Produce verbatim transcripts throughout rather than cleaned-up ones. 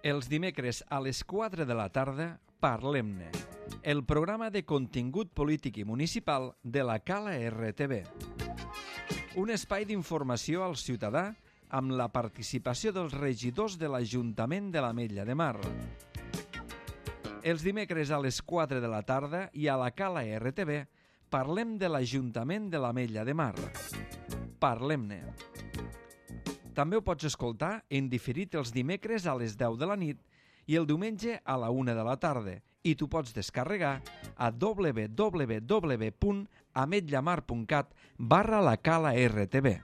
Els dimecres a les quatre de la tarda, Parlem-ne, el programa de contingut polític i municipal de la Cala R T V. Un espai d'informació al ciutadà amb la participació dels regidors de l'Ajuntament de l'Ametlla de Mar. Els dimecres a les quatre de la tarda i a la Cala R T V parlem de l'Ajuntament de l'Ametlla de Mar. Parlem-ne. També ho pots escoltar en diferit els dimecres a les deu de la nit i el diumenge a la una de la tarda, i tu pots descarregar a w w w punt ametllamar punt cat barra la Cala R T V.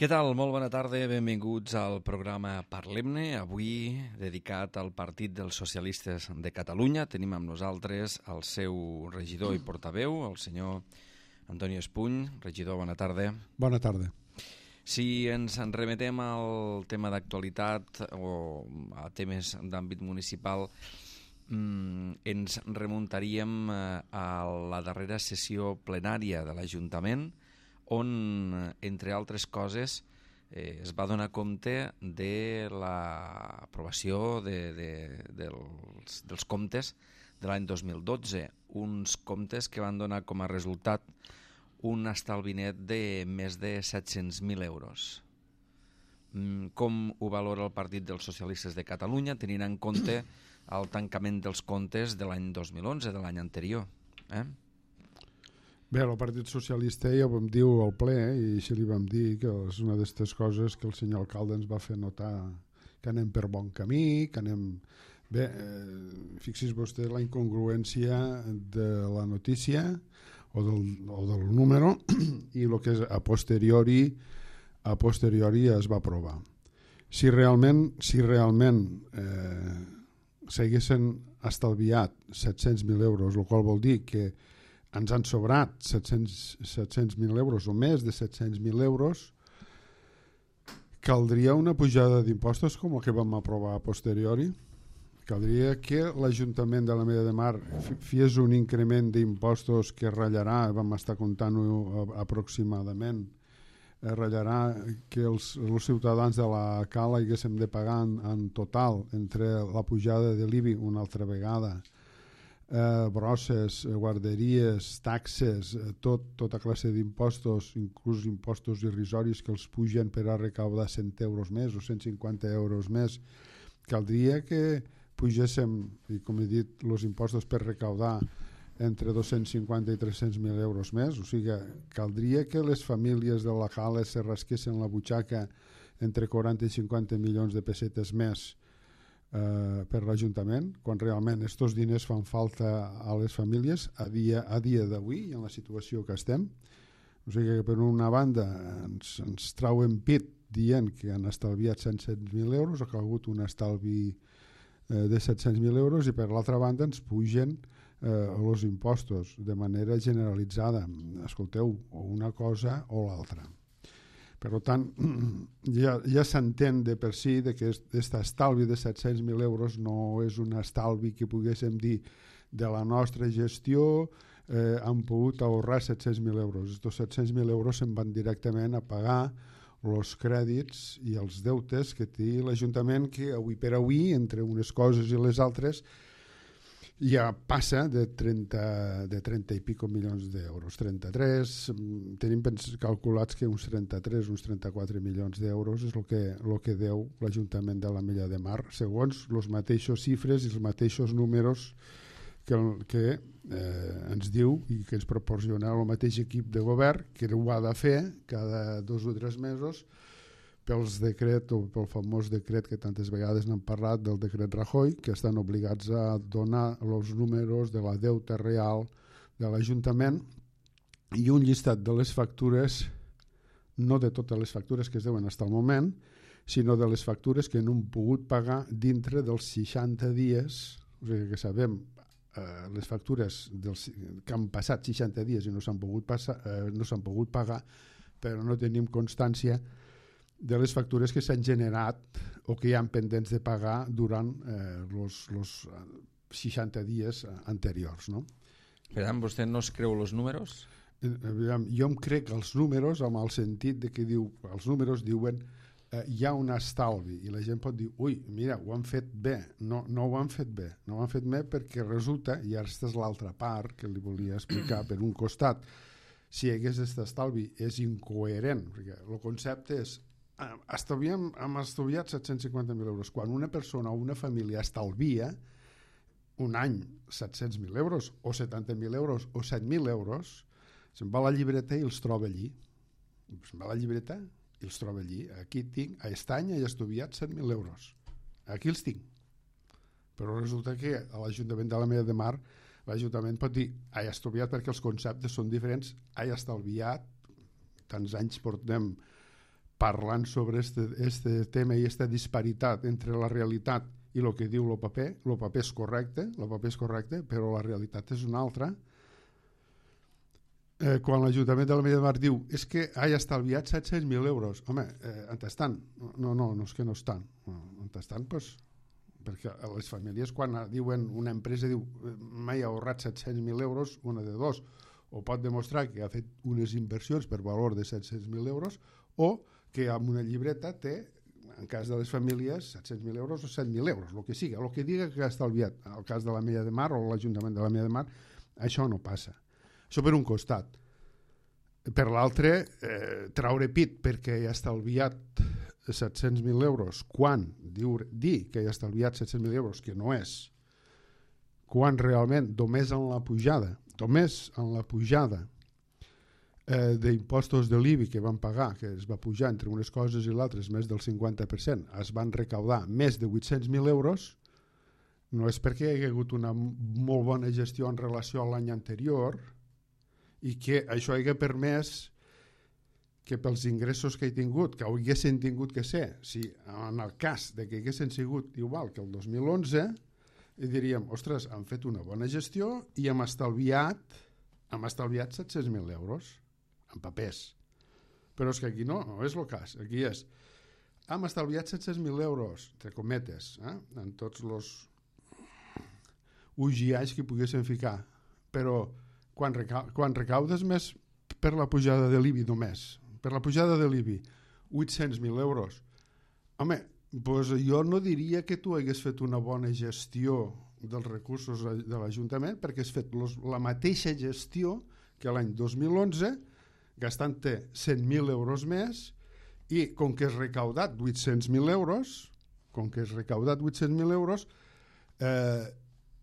Què tal? Molt bona tarda, benvinguts al programa Parlem-ne, avui dedicat al Partit dels Socialistes de Catalunya. Tenim amb nosaltres el seu regidor i portaveu, el senyor Antoni Espuny. Regidor, bona tarda. Bona tarda. Si ens en remetem al tema d'actualitat o a temes d'àmbit municipal, ens remuntaríem a la darrera sessió plenària de l'Ajuntament, on, entre altres coses, eh, es va donar compte de l'aprovació de, de, dels, dels comptes de l'any dos mil dotze, uns comptes que van donar com a resultat un estalvi net de més de set-cents mil euros. Com ho valora el Partit dels Socialistes de Catalunya, tenint en compte el tancament dels comptes de l'any dos mil onze, de l'any anterior? Eh? Bé, el Partit Socialista ja ho vam dir al ple i així li vam dir que és una d'aquestes coses que el senyor alcalde ens va fer notar que anem per bon camí, que anem... Bé, eh, fixis vostè la incongruència de la notícia o del, o del número i el que és a posteriori, a posteriori es va aprovar. Si realment, si realment eh, s'haguessin estalviat set-cents mil euros, el qual vol dir que ens han sobrat set-cents mil euros o més de set-cents mil euros, caldria una pujada d'impostos com el que vam aprovar a posteriori. Caldria que l'Ajuntament de l'Ametlla de Mar fes un increment d'impostos que ratllarà, vam estar comptant-ho aproximadament, ratllarà que els, els ciutadans de la Cala haguéssim de pagar en, en total entre la pujada de l'I B I una altra vegada, Eh, brosses, guarderies, taxes, eh, tot, tota classe d'impostos, inclús impostos irrisoris que els pugen per a recaudar cent euros més o cent cinquanta euros més. Caldria que pugéssim, i com he dit, els impostos per recaudar entre dos-cents cinquanta i tres-cents mil euros més, o sigui, caldria que les famílies de la Cala se rasquessin la butxaca entre quaranta i cinquanta milions de pessetes més Uh, per l'Ajuntament, quan realment aquests diners fan falta a les famílies a dia, a dia d'avui i en la situació que estem. O sigui que per una banda ens, ens trauen pit dient que han estalviat cent mil euros, ha calgut un estalvi uh, de set-cents mil euros, i per l'altra banda ens pugen uh, els impostos de manera generalitzada. Escolteu, o una cosa o l'altra. Per tant, ja, ja s'entén de per si de que aquest estalvi de set-cents mil euros no és un estalvi que poguéssim dir de la nostra gestió, eh, han pogut ahorrar set-cents mil euros. Estos set-cents mil euros se'n van directament a pagar els crèdits i els deutes que té l'Ajuntament, que avui per avui, entre unes coses i les altres, ja passa de trenta, de trenta i pico milions d'euros, trenta-tres, tenim calculats que uns trenta-tres, uns trenta-quatre milions d'euros és el que, el que deu l'Ajuntament de l'Ametlla de Mar, segons les mateixos xifres i els mateixos números que, que eh, ens diu i que ens proporciona el mateix equip de govern, que ho ha de fer cada dos o tres mesos pels decret o pel famós decret que tantes vegades n'han parlat, del decret Rajoy, que estan obligats a donar els números de la deuta real de l'Ajuntament i un llistat de les factures, no de totes les factures que es deuen fins al moment, sinó de les factures que no han pogut pagar dintre dels seixanta dies, o sigui que sabem eh, les factures dels, que han passat seixanta dies i no s'han pogut, passar, eh, no s'han pogut pagar, però no tenim constància de les factures que s'han generat o que hi ha pendents de pagar durant els eh, seixanta dies anteriors. No? Per tant, vostè no es creu els números? jo em crec els números amb el sentit de que diu, els números diuen eh, hi ha un estalvi i la gent pot dir, ui, mira, ho han fet bé. No, no ho han fet bé. No ho han fet bé perquè resulta, i aquesta és l'altra part que li volia explicar, per un costat, si hi hagués aquest estalvi és incoherent, perquè el concepte és estalviem, hem estalviat set-cents cinquanta mil euros. Quan una persona o una família estalvia un any set-cents mil euros o setanta mil euros o set mil euros, se'n va a la llibreta i els troba allí. Se'n va a la llibreta i els troba allí. Aquí tinc, a aquest any he estalviat set mil euros. Aquí els tinc. Però resulta que a l'Ajuntament de l'Ametlla de Mar l'Ajuntament pot dir he estalviat perquè els conceptes són diferents, he estalviat, tants anys portem parlant sobre este, este tema i aquesta disparitat entre la realitat i el que diu el paper. El paper és correcte, el paper és correcte, però la realitat és una altra. Eh, quan l'Ajuntament de l'Ametlla de Mar diu és que he estalviat set-cents mil euros, home, eh, on estan? No, no, no és que no estan. On estan? Pues, perquè les famílies quan diuen, una empresa diu m'he ahorrat set-cents mil euros, una de dos, o pot demostrar que ha fet unes inversions per valor de set-cents mil euros o que amb una llibreta té, en cas de les famílies, set-cents mil euros o set mil euros, el que siga, el que diga que ha estalviat. En el cas de l'Ametlla de Mar o l'Ajuntament de l'Ametlla de Mar, això no passa. Això per un costat. Per l'altre, eh, traure pit perquè hi ha estalviat set-cents mil euros, quan diu, dir que hi ha estalviat set-cents mil euros, que no és, quan realment, només en la pujada, només en la pujada eh, d'impostos de l'I B I que van pagar, que es va pujar entre unes coses i l'altres més del cinquanta per cent, es van recaudar més de vuit-cents mil euros, no és perquè hi ha hagut una molt bona gestió en relació a l'any anterior i que això hagi permès que pels ingressos que he tingut, que haguessin tingut que ser, si en el cas de que haguessin sigut igual que el dos mil onze, i diríem, ostres, han fet una bona gestió i hem estalviat, hem estalviat set-cents mil euros en papers. Però és que aquí no, no és el cas. Aquí és, hem estalviat set-cents mil euros, entre cometes, eh? En tots els ugiais que poguessin ficar. Però quan, reca quan recaudes més per la pujada de l'I B I només, per la pujada de l'I B I, vuit-cents mil euros, home, doncs jo no diria que tu hagués fet una bona gestió dels recursos de l'Ajuntament perquè has fet los, la mateixa gestió que l'any dos mil onze, gastant-te cent mil euros més i com que has recaudat vuit-cents mil euros, com que has recaudat vuit-cents mil euros, eh,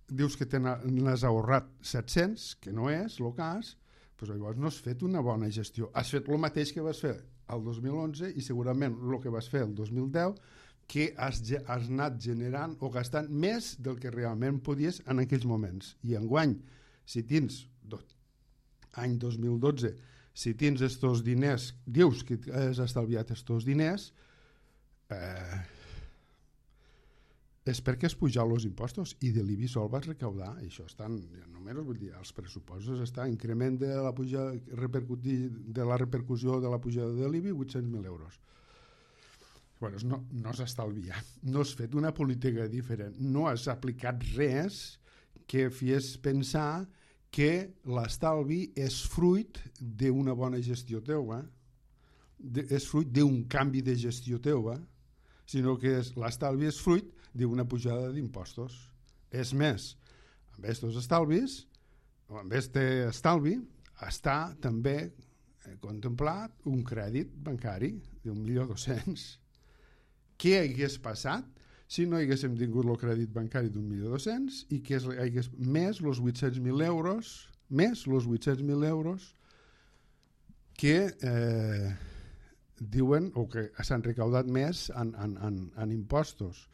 dius que te n'has ahorrat set-cents, que no és el cas, doncs llavors no has fet una bona gestió. Has fet el mateix que vas fer el dos mil onze i segurament el que vas fer el dos mil deu, que has, has anat generant o gastant més del que realment podies en aquells moments. I enguany, si tens, any dos mil dotze, si tens estos diners, dius que has estalviat estos diners, eh, és perquè has pujat els impostos i de l'I B I sol vas recaudar. I això estan, només vull dir, els pressupostos està increment de la, pujada, de la repercussió de la pujada de l'I B I vuit-cents mil euros. Bueno, no, no has estalviat, no has fet una política diferent, no has aplicat res que fes pensar que l'estalvi és fruit d'una bona gestió teua, de, és fruit d'un canvi de gestió teua, sinó que l'estalvi és fruit d'una pujada d'impostos. És més, amb aquests estalvis, o amb aquest estalvi, està també contemplat un crèdit bancari d'un milió dos-cents. Què hagués passat si no haguéssim tingut el crèdit bancari d'un milió dos-cents i que hagués més els vuit-cents mil euros, més els vuit-cents mil euros que eh, diuen o que s'han recaudat més en, en, en, en impostos.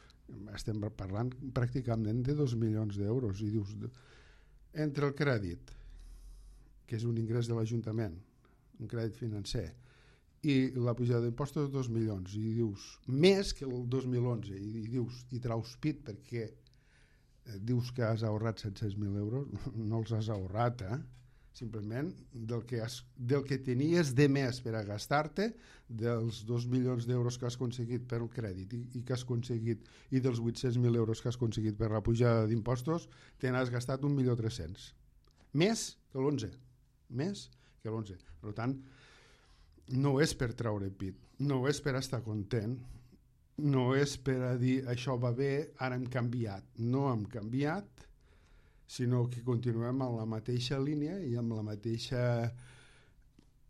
Estem parlant pràcticament de dos milions d'euros i dius, entre el crèdit, que és un ingrés de l'Ajuntament, un crèdit financer, i la pujada d'impostos de dos milions, i dius, més que el dos mil onze, i, i dius, i traus pit perquè eh, dius que has ahorrat set-cents mil euros, no els has ahorrat, eh? Simplement del que, has, del que tenies de més per a gastar-te, dels dos milions d'euros que has aconseguit per el crèdit i, i que has aconseguit, i dels vuit-cents mil euros que has aconseguit per la pujada d'impostos, te n'has gastat un milió tres-cents. Més que l'onze, més que l'onze. Per tant, no és per treure pit, no és per estar content, no és per a dir això va bé, ara hem canviat. No hem canviat, sinó que continuem en la mateixa línia i amb la mateixa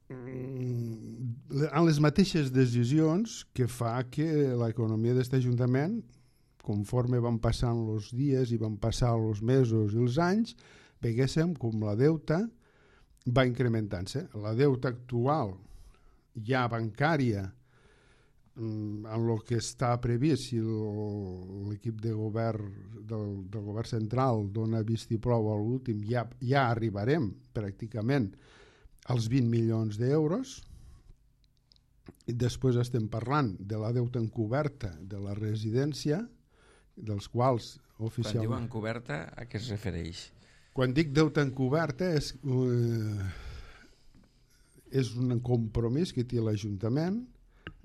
en les mateixes decisions que fa que l'economia d'aquest Ajuntament, conforme van passant els dies i van passar els mesos i els anys, veguéssim com la deuta va incrementant-se. La deuta actual ja bancària, en el que està previst, si l'equip de govern del, del govern central dona vistiplau a l'últim, ja, ja arribarem pràcticament als vint milions d'euros. I després estem parlant de la deuta encoberta de la residència, dels quals oficialment... Quan diu encoberta, a què es refereix? Quan dic deuta encoberta és, uh, és un compromís que té l'Ajuntament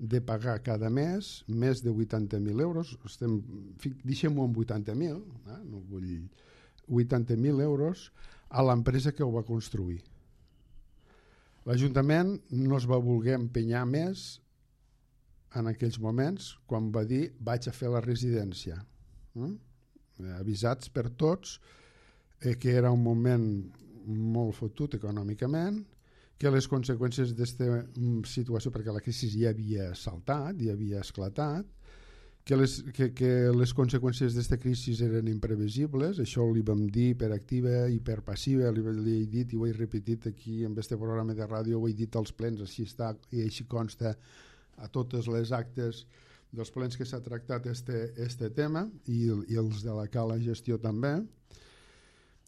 de pagar cada mes més de vuitanta mil euros. Estem, deixem-ho en vuitanta mil, eh? No vull vuitanta mil euros a l'empresa que ho va construir. L'Ajuntament no es va voler empenyar més en aquells moments quan va dir vaig a fer la residència. Mm? Avisats per tots eh, que era un moment molt fotut econòmicament, que les conseqüències d'aquesta situació, perquè la crisi ja havia saltat, ja havia esclatat, que les, que, que les conseqüències d'aquesta crisi eren imprevisibles. Això li vam dir per activa i per passiva, li, li he dit i ho he repetit aquí en aquest programa de ràdio, ho he dit als plens, així està i així consta a totes les actes dels plens que s'ha tractat este, este tema i, i els de la cala gestió també.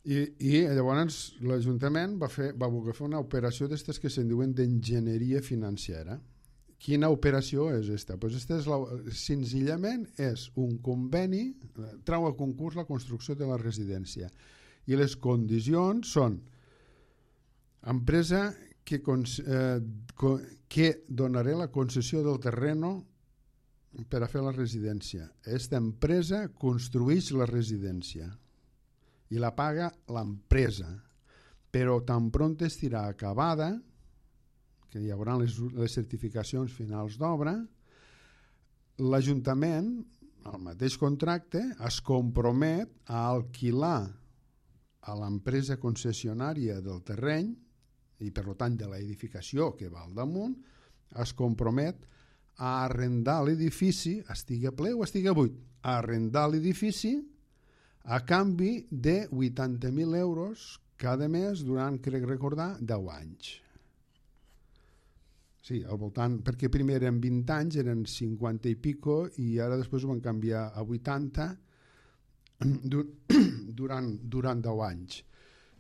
I, i llavors l'Ajuntament va, fer, va voler fer una operació d'aquestes que se'n diuen d'enginyeria financera. Quina operació és esta? Pues esta és la, senzillament és un conveni, trau a concurs la construcció de la residència i les condicions són empresa que, eh, que donarà la concessió del terreno per a fer la residència. Aquesta empresa construeix la residència i la paga l'empresa, però tan pront estirà acabada, que hi haurà les, les certificacions finals d'obra, l'Ajuntament, al mateix contracte, es compromet a alquilar a l'empresa concessionària del terreny i per tant de l'edificació que va al damunt, es compromet a arrendar l'edifici, estigui ple o estigui buit, a arrendar l'edifici a canvi de vuitanta mil euros cada mes durant, crec recordar, deu anys. Sí, al voltant, perquè primer eren vint anys, eren cinquanta i pico, i ara després ho van canviar a vuitanta durant, durant deu anys.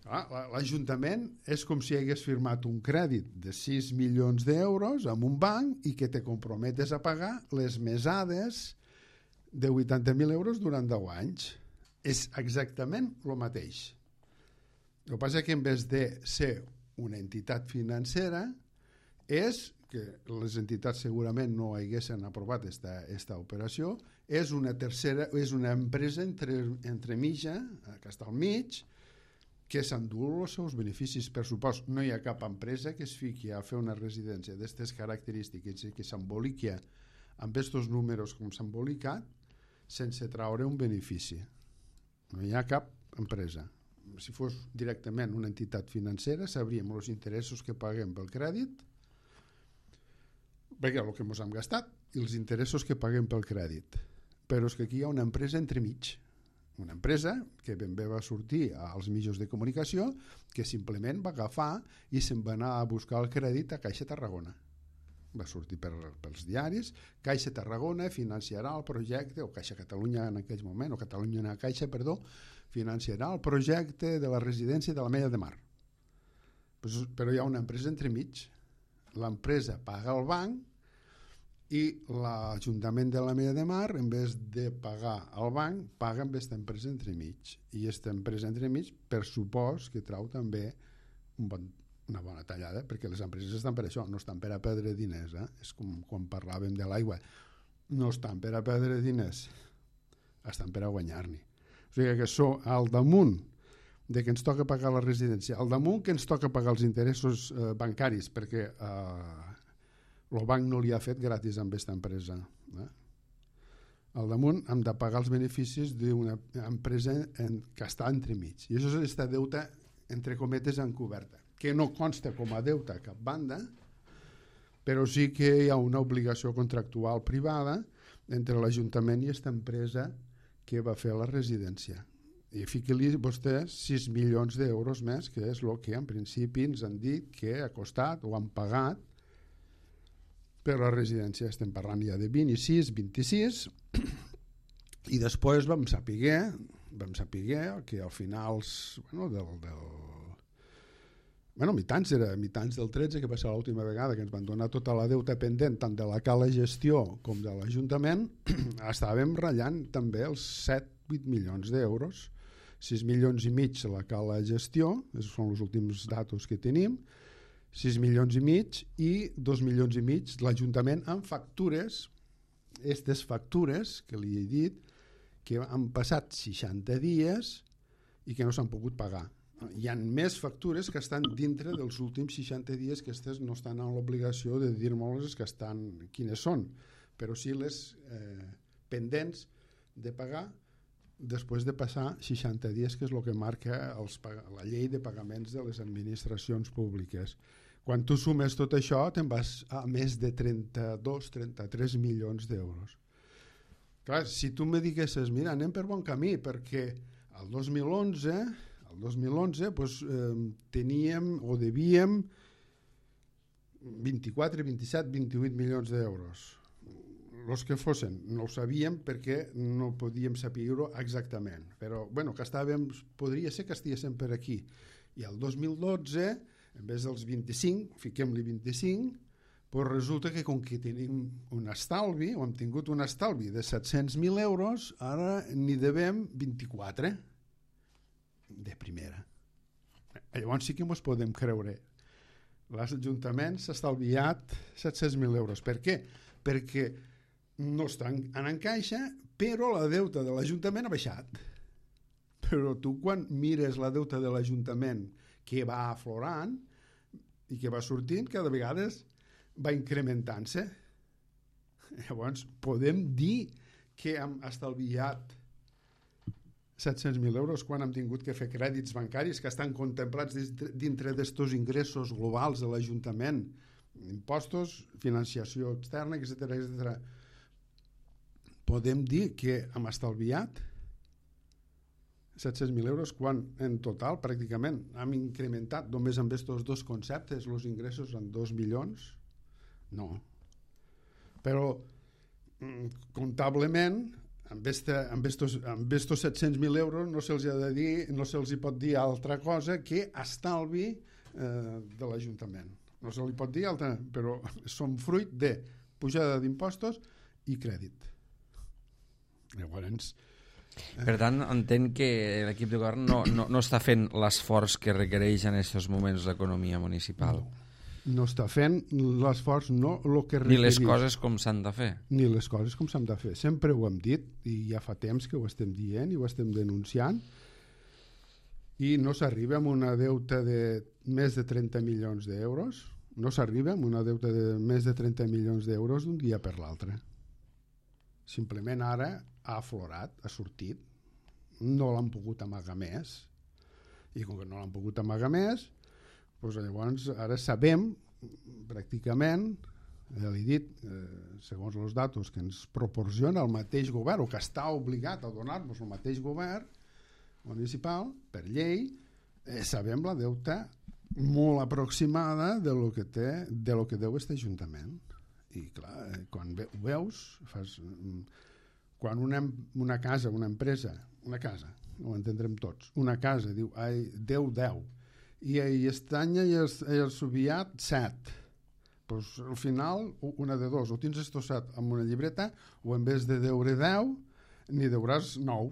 L'Ajuntament és com si hagués firmat un crèdit de sis milions d'euros amb un banc i que te comprometes a pagar les mesades de vuitanta mil euros durant deu anys. És exactament el mateix. El que passa és que en vez de ser una entitat financera és que les entitats segurament no haguessin aprovat aquesta operació, és una tercera, és una empresa entre, entre mitja, que està al mig, que s'endú els seus beneficis. Per supost, no hi ha cap empresa que es fiqui a fer una residència d'aquestes característiques i que s'emboliqui amb aquests números com s'ha embolicat sense traure un benefici. No hi ha cap empresa. Si fos directament una entitat financera, sabríem els interessos que paguem pel crèdit, perquè el que ens hem gastat, i els interessos que paguem pel crèdit. Però és que aquí hi ha una empresa entremig. Una empresa que ben bé va sortir als mitjans de comunicació, que simplement va agafar i se'n va anar a buscar el crèdit a Caixa Tarragona. Va sortir per, pels diaris, Caixa Tarragona financiarà el projecte, o Caixa Catalunya en aquell moment, o Catalunya en Caixa, perdó, financiarà el projecte de la residència de l'Ametlla de Mar. Però hi ha una empresa entremig. L'empresa paga al banc i l'Ajuntament de l'Ametlla de Mar, en vez de pagar al banc, paga amb aquesta empresa entremig. I aquesta empresa entremig, per supost, que trau també un bon una bona tallada, perquè les empreses estan per això, no estan per a perdre diners, eh? És com quan parlàvem de l'aigua, no estan per a perdre diners, estan per a guanyar-n'hi. O sigui que so, al damunt de que ens toca pagar la residència, al damunt que ens toca pagar els interessos eh, bancaris, perquè eh, el banc no li ha fet gratis amb aquesta empresa. Eh? Al damunt hem de pagar els beneficis d'una empresa en, que està entremig. I això és aquesta deuta, entre cometes, encoberta, que no consta com a deuta a cap banda, però sí que hi ha una obligació contractual privada entre l'Ajuntament i aquesta empresa que va fer la residència. I fiqui-li vostè sis milions d'euros més, que és el que en principi ens han dit que ha costat o han pagat per la residència. Estem parlant ja de vint-i-sis, vint-i-sis, i després vam saber, vam saber que al final, bueno, del, del, bueno, mitjans, era mitjans del tretze, que va ser l'última vegada que ens van donar tota la deuta pendent, tant de la cala gestió com de l'Ajuntament, estàvem ratllant també els set vuit milions d'euros, sis milions i mig la cala gestió, són els últims datos que tenim, sis milions i mig i dos milions i mig l'Ajuntament amb factures, aquestes factures que li he dit que han passat seixanta dies i que no s'han pogut pagar. Hi ha més factures que estan dintre dels últims seixanta dies, que aquestes no estan en l'obligació de dir-nos que estan, quines són, però sí les eh, pendents de pagar després de passar seixanta dies, que és el que marca els, la llei de pagaments de les administracions públiques. Quan tu sumes tot això, te'n vas a més de trenta-dos trenta-tres milions d'euros. Clar, si tu me diguessis, mira, anem per bon camí, perquè el dos mil onze, el dos mil onze doncs, eh, teníem o devíem vint-i-quatre, vint-i-set, vint-i-vuit milions d'euros. Els que fossin, no ho sabíem perquè no podíem saber-ho exactament, però bueno, que estàvem, podria ser que estiguéssim per aquí. I el dos mil dotze, en vez dels vint-i-cinc, fiquem-li vint-i-cinc, doncs resulta que com que tenim un estalvi, o hem tingut un estalvi de set-cents mil euros, ara n'hi devem vint-i-quatre de primera. Llavors sí que ens podem creure. L'Ajuntament s'ha estalviat set-cents mil euros. Per què? Perquè no estan en encaixa, però la deuta de l'Ajuntament ha baixat. Però tu quan mires la deuta de l'Ajuntament que va aflorant i que va sortint, cada vegada va incrementant-se. Llavors podem dir que hem estalviat set-cents mil euros quan hem tingut que fer crèdits bancaris que estan contemplats dintre d'estos ingressos globals de l'Ajuntament, impostos, financiació externa, etcètera, etcètera. Podem dir que hem estalviat set-cents mil euros quan en total pràcticament hem incrementat només amb aquests dos conceptes els ingressos en dos milions? No. Però comptablement amb aquests set-cents mil euros no se'ls ha de dir, no se'ls hi pot dir altra cosa que estalvi eh, de l'Ajuntament. No se li pot dir altra, però són fruit de pujada d'impostos i crèdit. Llavors... Eh. Per tant, entenc que l'equip de govern no, no, no està fent l'esforç que requereix en aquests moments l'economia municipal. No, no està fent l'esforç, no el que requereix. Ni les coses com s'han de fer. Ni les coses com s'han de fer. Sempre ho hem dit, i ja fa temps que ho estem dient i ho estem denunciant, i no s'arriba amb una deuta de més de trenta milions d'euros, no s'arriba amb una deuta de més de trenta milions d'euros d'un dia per l'altre. Simplement ara ha aflorat, ha sortit, no l'han pogut amagar més, i com que no l'han pogut amagar més, doncs llavors ara sabem pràcticament, ja l'he dit, eh, segons els datos que ens proporciona el mateix govern, o que està obligat a donar-nos el mateix govern municipal, per llei, eh, sabem la deuta molt aproximada de lo que té, de lo que deu aquest Ajuntament. I clar, quan ve, ho veus, fas, quan una, una casa, una empresa, una casa, ho entendrem tots, una casa diu, ai, deu, deu, i Estanya i el, el Subiat, set. Pues, al final, una de dos, o tens esto set amb una llibreta, o en vez de deure deu, n'hi deuràs nou.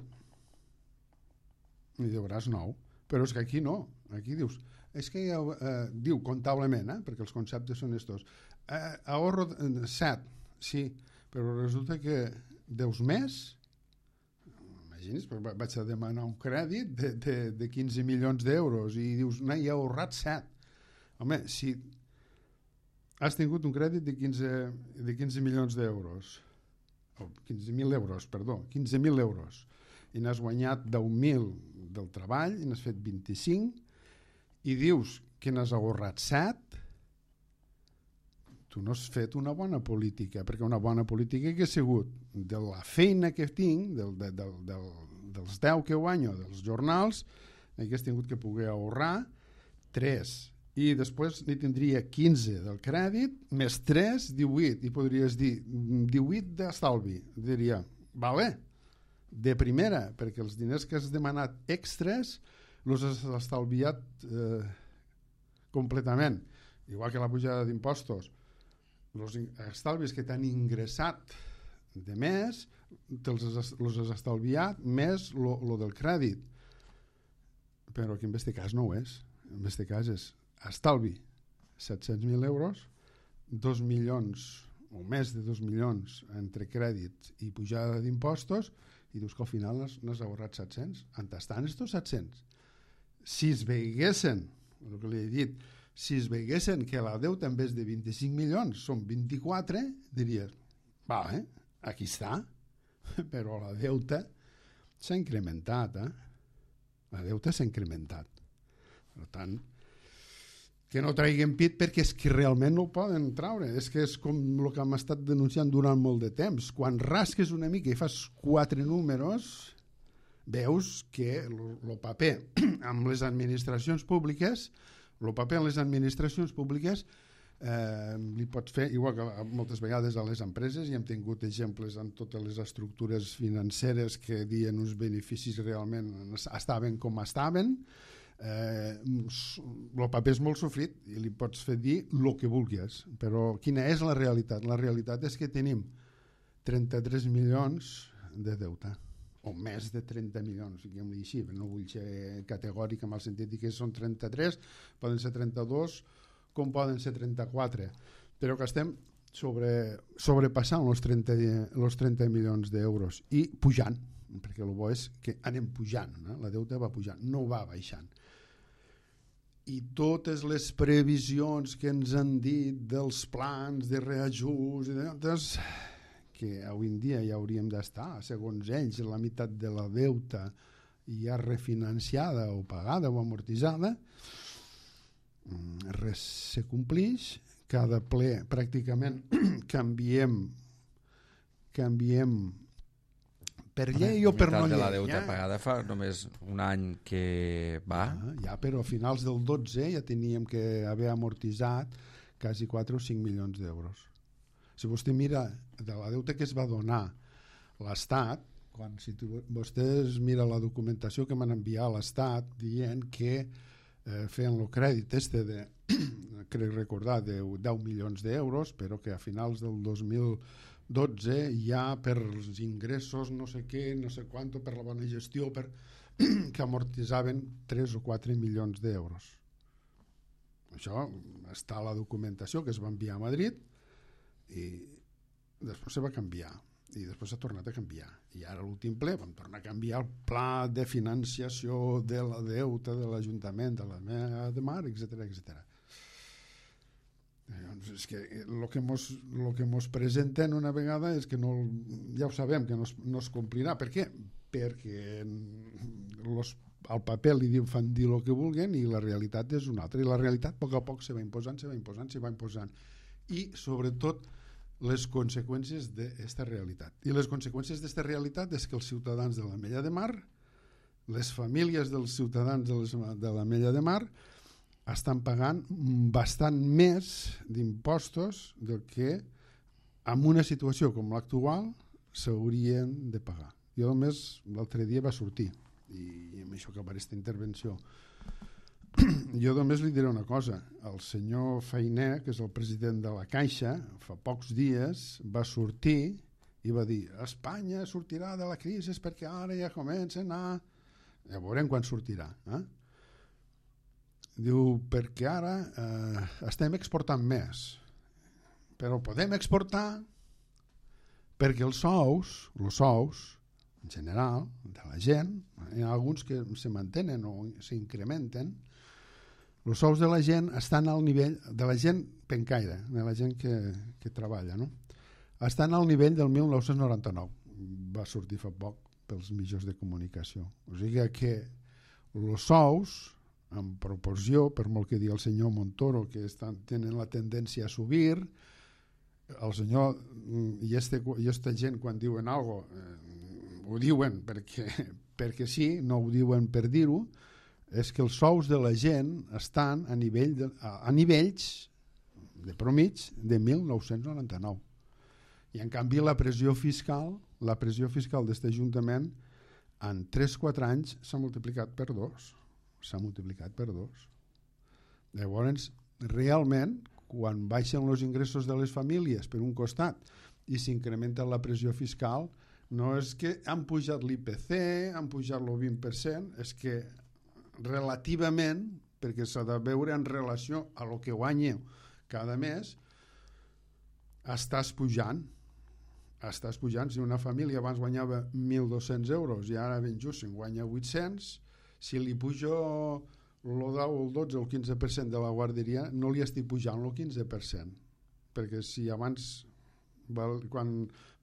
N'hi deuràs nou. Però és que aquí no. Aquí dius, és que ja, eh, diu comptablement, eh, perquè els conceptes són estos, eh, ahorro set, sí, però resulta que deus més, imagines, vaig a demanar un crèdit de, de, de quinze milions d'euros i dius, no, hi ha ahorrat set. Home, si has tingut un crèdit de quinze, de quinze milions d'euros, o quinze mil euros, perdó, quinze mil euros, i n'has guanyat deu mil del treball, i n'has fet vint-i-cinc, i dius que n'has ahorrat set, tu no has fet una bona política, perquè una bona política que ha sigut de la feina que tinc, del, del, del, dels deu que guanyo dels jornals, hagués tingut que poder ahorrar tres, i després n'hi tindria quinze del crèdit, més tres, divuit, i podries dir divuit d'estalvi. Diria, vale, de primera, perquè els diners que has demanat extres els has estalviat eh, completament, igual que la pujada d'impostos. Els estalvis que t'han ingressat de més te'ls has, has estalviat més lo del crèdit, però aquí en aquest cas no ho és. En aquest cas és estalvi set-cents mil euros, dos milions o més de dos milions entre crèdits i pujada d'impostos, i dius que al final n'has ahorrat set-cents. On estan estos set-cents? Si es veiguessin, el que li he dit, si es veiguessin que la deuta en vez de vint-i-cinc milions són vint-i-quatre, diries, va, eh? Aquí està, però la deuta s'ha incrementat, eh? La deuta s'ha incrementat. Per tant, que no traguin pit perquè és que realment no ho poden traure. És que és com el que hem estat denunciant durant molt de temps. Quan rasques una mica i fas quatre números, veus que el paper amb les administracions públiques, el paper en les administracions públiques eh, li pots fer, igual que moltes vegades a les empreses, i hem tingut exemples en totes les estructures financeres que dien uns beneficis realment estaven com estaven, eh, el paper és molt sofrit i li pots fer dir el que vulguis, però quina és la realitat? La realitat és que tenim trenta-tres milions de deute, o més de trenta milions, diguem-li així, no vull ser categòric en el sentit que són trenta-tres, poden ser trenta-dos, com poden ser trenta-quatre, però que estem sobre, sobrepassant els trenta, els trenta milions d'euros i pujant, perquè el bo és que anem pujant, eh? La deuta va pujant, no va baixant. I totes les previsions que ens han dit dels plans de reajust, doncs, que avui en dia ja hauríem d'estar, segons ells, la meitat de la deuta ja refinanciada o pagada o amortitzada, res se complix, cada ple pràcticament canviem canviem per llei o per no llei. La meitat de la deuta ja pagada fa només un any que va. Ja, ja, però a finals del dotze ja teníem que haver amortitzat quasi quatre o cinc milions d'euros. Si vostè mira de la deuta que es va donar l'Estat, quan si tu, vostès mira la documentació que m'han enviat a l'Estat dient que eh, feien el crèdit este de, crec recordar, de deu milions d'euros, però que a finals del dos mil dotze ja per els ingressos no sé què, no sé quant, per la bona gestió, per que amortitzaven tres o quatre milions d'euros. Això està a la documentació que es va enviar a Madrid, i després se va canviar i després s'ha tornat a canviar i ara l'últim ple vam tornar a canviar el pla de financiació de la deuta de l'Ajuntament de la Mella de Mar, etcètera etcètera. Doncs és que el que mos, lo que mos presenten una vegada és que no, ja ho sabem que no es, no es complirà. Per què? Perquè los, al paper li diu, fan dir el que vulguen i la realitat és una altra, i la realitat a poc a poc se va imposant, se va imposant, se va imposant, i sobretot les conseqüències d'aquesta realitat. I les conseqüències d'aquesta realitat és que els ciutadans de la Mella de Mar, les famílies dels ciutadans de, les, de la Mella de Mar estan pagant bastant més d'impostos del que en una situació com l'actual s'haurien de pagar. Jo només l'altre dia va sortir, i amb això acabaré aquesta intervenció, jo només li diré una cosa. El senyor Fainé, que és el president de la Caixa, fa pocs dies va sortir i va dir Espanya sortirà de la crisi perquè ara ja comencen a... Ja veurem quan sortirà. Eh? Diu, perquè ara eh, estem exportant més, però podem exportar perquè els sous, els sous en general, de la gent, hi ha alguns que se mantenen o s'incrementen, els sous de la gent estan al nivell, de la gent pencaire, de la gent que, que treballa, no? Estan al nivell del mil nou-cents noranta-nou. Va sortir fa poc pels mitjans de comunicació. O sigui que els sous, en proporció, per molt que digui el senyor Montoro, que estan, tenen la tendència a subir, el senyor i este, i esta gent quan diuen alguna cosa, eh, ho diuen perquè, perquè sí, no ho diuen per dir-ho, és que els sous de la gent estan a, nivell de, a, a nivells de promig de mil nou-cents noranta-nou. I en canvi la pressió fiscal, la pressió fiscal d'aquest Ajuntament en tres o quatre anys s'ha multiplicat per dos. S'ha multiplicat per dos. Llavors, realment, quan baixen els ingressos de les famílies per un costat i s'incrementa la pressió fiscal, no és que han pujat l'I P C, han pujat el vint per cent, és que relativament, perquè s'ha de veure en relació a lo que guanyeu cada mes, estàs pujant. Estàs pujant. Si una família abans guanyava mil dos-cents euros i ara ben just en guanya vuit-cents, si li pujo el deu, el dotze o el quinze per cent de la guarderia, no li estic pujant el quinze per cent. Perquè si abans, quan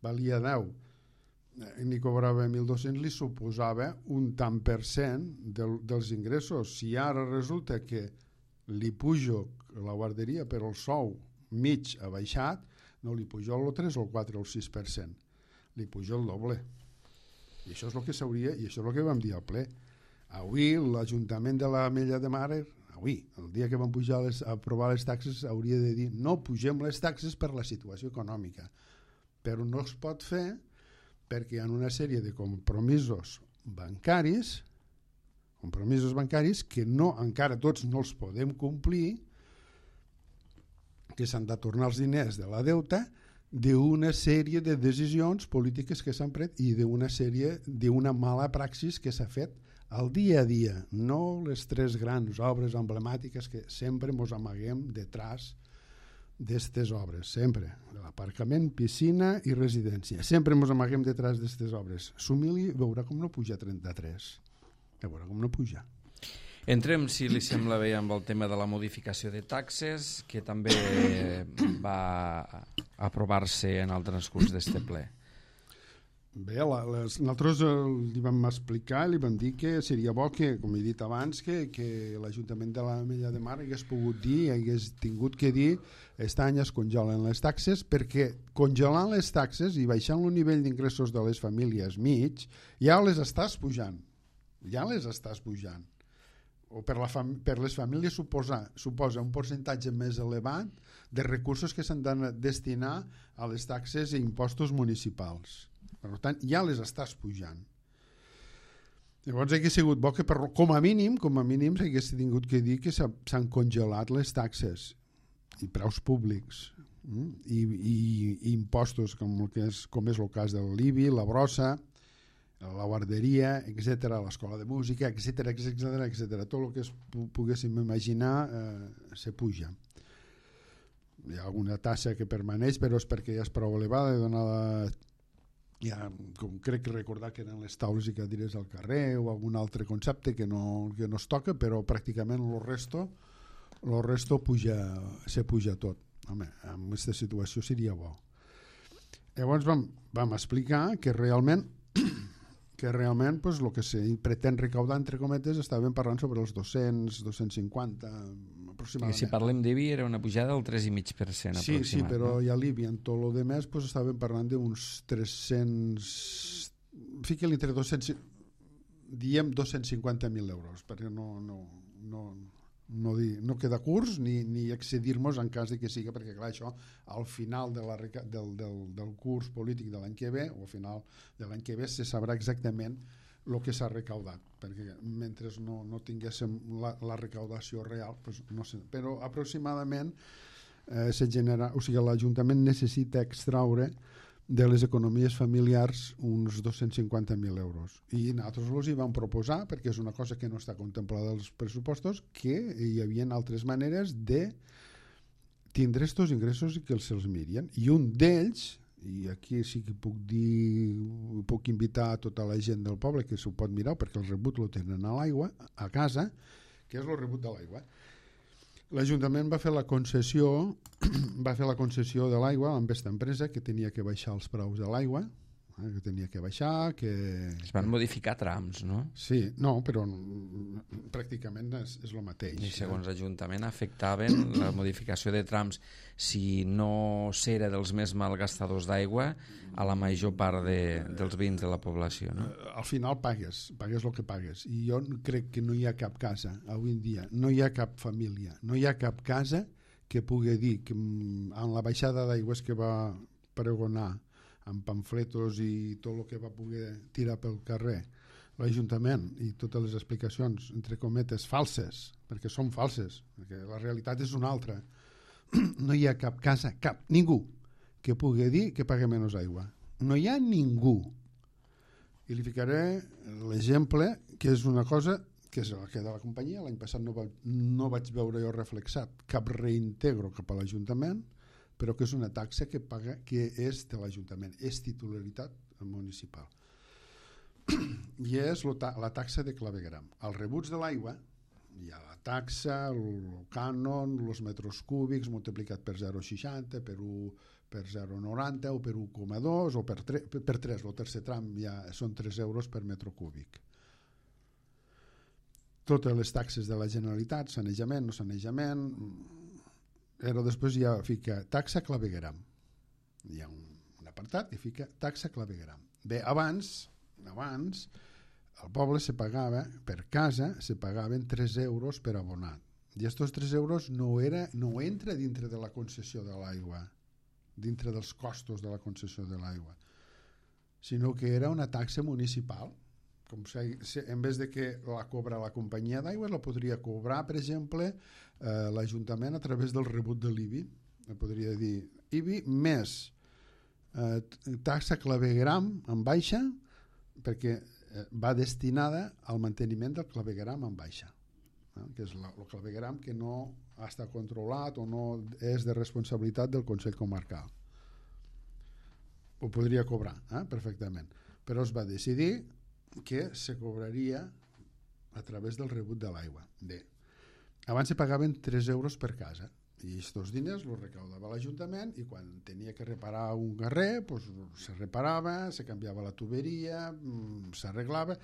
valia deu, ni cobrava mil dos-cents, li suposava un tant per cent del, dels ingressos. Si ara resulta que li pujo la guarderia però el sou mig ha baixat, no li pujo el tres, el quatre o el sis per cent, li pujo el doble. I això és el que s'hauria, i això és el que vam dir al ple. Avui l'Ajuntament de l'Ametlla de Mar, avui, el dia que van pujar les, a aprovar les taxes, hauria de dir no pugem les taxes per la situació econòmica, però no es pot fer perquè hi ha una sèrie de compromisos bancaris, compromisos bancaris que no, encara tots no els podem complir, que s'han de tornar els diners de la deuta d'una sèrie de decisions polítiques que s'han pres i d'una sèrie, d'una mala praxis que s'ha fet al dia a dia, no les tres grans obres emblemàtiques que sempre ens amaguem detrás d'aquestes obres, sempre. L'aparcament, piscina i residència. Sempre ens amaguem detrás d'aquestes obres. S'humili, veurà com no puja trenta-tres. Veurà com no puja. Entrem, si li sembla bé, amb el tema de la modificació de taxes, que també va aprovar-se en el transcurs d'este ple. Bé, la, les, nosaltres eh, li vam explicar, li vam dir que seria bo que, com he dit abans, que, que l'Ajuntament de l'Ametlla de Mar hagués pogut dir, hagués tingut que dir aquest any es congelen les taxes, perquè congelant les taxes i baixant el nivell d'ingressos de les famílies mig, ja les estàs pujant, ja les estàs pujant. O per, la fam per les famílies suposa, suposa un percentatge més elevat de recursos que s'han de destinar a les taxes i impostos municipals. Per tant, ja les estàs pujant. Llavors hauria sigut bo que per, com a mínim, com a mínim s'hagués tingut que dir que s'han congelat les taxes i preus públics mm? I, i, i impostos com, el que és, com és el cas de l'I B I, la brossa, la guarderia, etcètera, l'escola de música, etcètera, etcètera, etcètera. Tot el que es poguéssim imaginar eh, se puja. Hi ha alguna tassa que permaneix, però és perquè ja és prou elevada i dona la... Ja, com crec que recordar que eren les taules i cadires al carrer o algun altre concepte que no, que no es toca, però pràcticament el resto, el resto puja, se puja tot. Home, en aquesta situació seria bo. Llavors vam, vam explicar que realment que realment pues, el que se pretén recaudar, entre cometes, estàvem parlant sobre els dos-cents, dos-cents cinquanta aproximadament. I si parlem d'I B I era una pujada del tres coma cinc per cent sí, aproximat. Sí, però no? ja l'I B I en tot el de més pues, estàvem parlant d'uns tres-cents... Fica-li entre dos-cents... Diem dos-cents cinquanta mil euros, perquè no, no, no, no, dir, no queda curs ni, ni excedir-nos en cas de que siga, perquè clar, això al final de la, del, del, del curs polític de l'any que ve o al final de l'any que ve se sabrà exactament el que s'ha recaudat, perquè mentre no, no tinguéssim la, la recaudació real, pues no sé, però aproximadament eh, se genera, o sigui, l'Ajuntament necessita extraure de les economies familiars uns dos-cents cinquanta mil euros. I nosaltres els hi vam proposar, perquè és una cosa que no està contemplada als pressupostos, que hi havia altres maneres de tindre estos ingressos i que se'ls mirien. I un d'ells i aquí sí que puc dir, puc invitar a tota la gent del poble que s'ho pot mirar, perquè el rebut lo tenen a l'aigua, a casa, que és el rebut de l'aigua. L'Ajuntament va fer la concessió va fer la concessió de l'aigua amb aquesta empresa que tenia que baixar els preus de l'aigua, eh, que tenia que baixar, que... Es van modificar trams, no? Sí, no, però pràcticament és, és el mateix. I segons l'Ajuntament afectaven la modificació de trams, si no s'era dels més malgastadors d'aigua, a la major part de, dels veïns de la població, no? Al final pagues, pagues el que pagues. I jo crec que no hi ha cap casa, avui en dia, no hi ha cap família, no hi ha cap casa que pugui dir que en la baixada d'aigües que va pregonar amb pamfletos i tot el que va poder tirar pel carrer l'Ajuntament i totes les explicacions, entre cometes, falses, perquè són falses, perquè la realitat és una altra. No hi ha cap casa, cap, ningú, que pugui dir que pague menys aigua. No hi ha ningú. I li ficaré l'exemple, que és una cosa que és la que de la companyia. L'any passat no, va, no vaig veure jo reflexat cap reintegro cap a l'Ajuntament, però que és una taxa que paga, que és de l'Ajuntament, és titularitat municipal. I és la taxa de clavegueram. Els rebuts de l'aigua, hi ha la taxa, el cànon, els metres cúbics multiplicat per zero coma seixanta, per un, per zero coma noranta o per un coma dos o per tres, per tres, el tercer tram ja són tres euros per metre cúbic. Totes les taxes de la Generalitat, sanejament, no sanejament... Però després ja fica taxa clavegueram. Hi ha un, un apartat que fica taxa clavegueram. Bé, abans, abans al poble se pagava, per casa, se pagaven tres euros per abonat. I aquests tres euros no, era, no entra dintre de la concessió de l'aigua, dintre dels costos de la concessió de l'aigua, sinó que era una taxa municipal. Com si, en vez de que la cobra la companyia d'aigua, la podria cobrar, per exemple, eh, l'Ajuntament a través del rebut de l'I B I. La podria dir I B I més eh, taxa clavegueram en baixa, perquè eh, va destinada al manteniment del clavegueram en baixa, eh, que és la, el clavegueram que no està controlat o no és de responsabilitat del Consell Comarcal. Ho podria cobrar, eh, perfectament. Però es va decidir que se cobraria a través del rebut de l'aigua. Bé, abans se pagaven tres euros per casa i aquests diners els recaudava l'Ajuntament i quan tenia que reparar un carrer pues, se reparava, se canviava la tuberia, s'arreglava.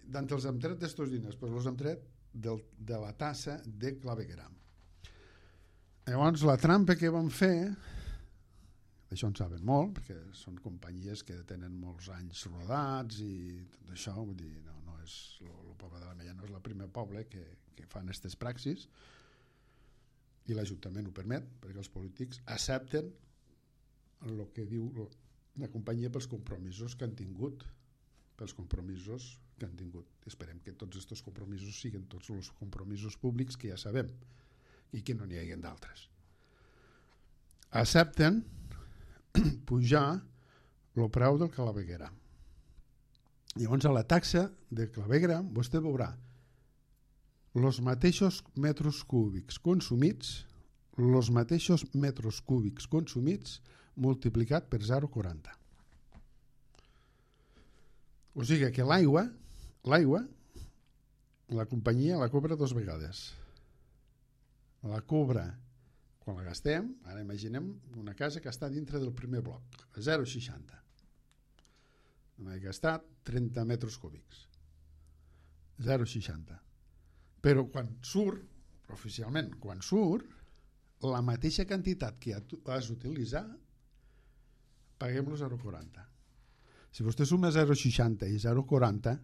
D'on els hem tret d'aquests diners? Pues els hem tret del, de la tassa de clavegueram. Llavors la trampa que vam fer, això en saben molt, perquè són companyies que tenen molts anys rodats i tot això, vull dir, no, no és, el poble de la Mella no és el primer poble que, que fan aquestes praxis i l'Ajuntament ho permet, perquè els polítics accepten el que diu la companyia pels compromisos que han tingut, pels compromisos que han tingut. Esperem que tots aquests compromisos siguin tots els compromisos públics que ja sabem i que no n'hi hagi d'altres. Accepten pujar el preu del clavegueram. Llavors a la taxa de clavegueram vostè veurà els mateixos metres cúbics consumits, els mateixos metres cúbics consumits multiplicat per zero coma quaranta. O sigui que l'aigua, l'aigua, la companyia la cobra dos vegades. La cobra quan la gastem, ara imaginem una casa que està dintre del primer bloc, a zero coma seixanta. Hem gastat trenta metres cúbics. zero coma seixanta. Però quan surt, oficialment, quan surt, la mateixa quantitat que has d'utilitzar, paguem-lo zero coma quaranta. Si vostè suma zero coma seixanta i zero coma quaranta,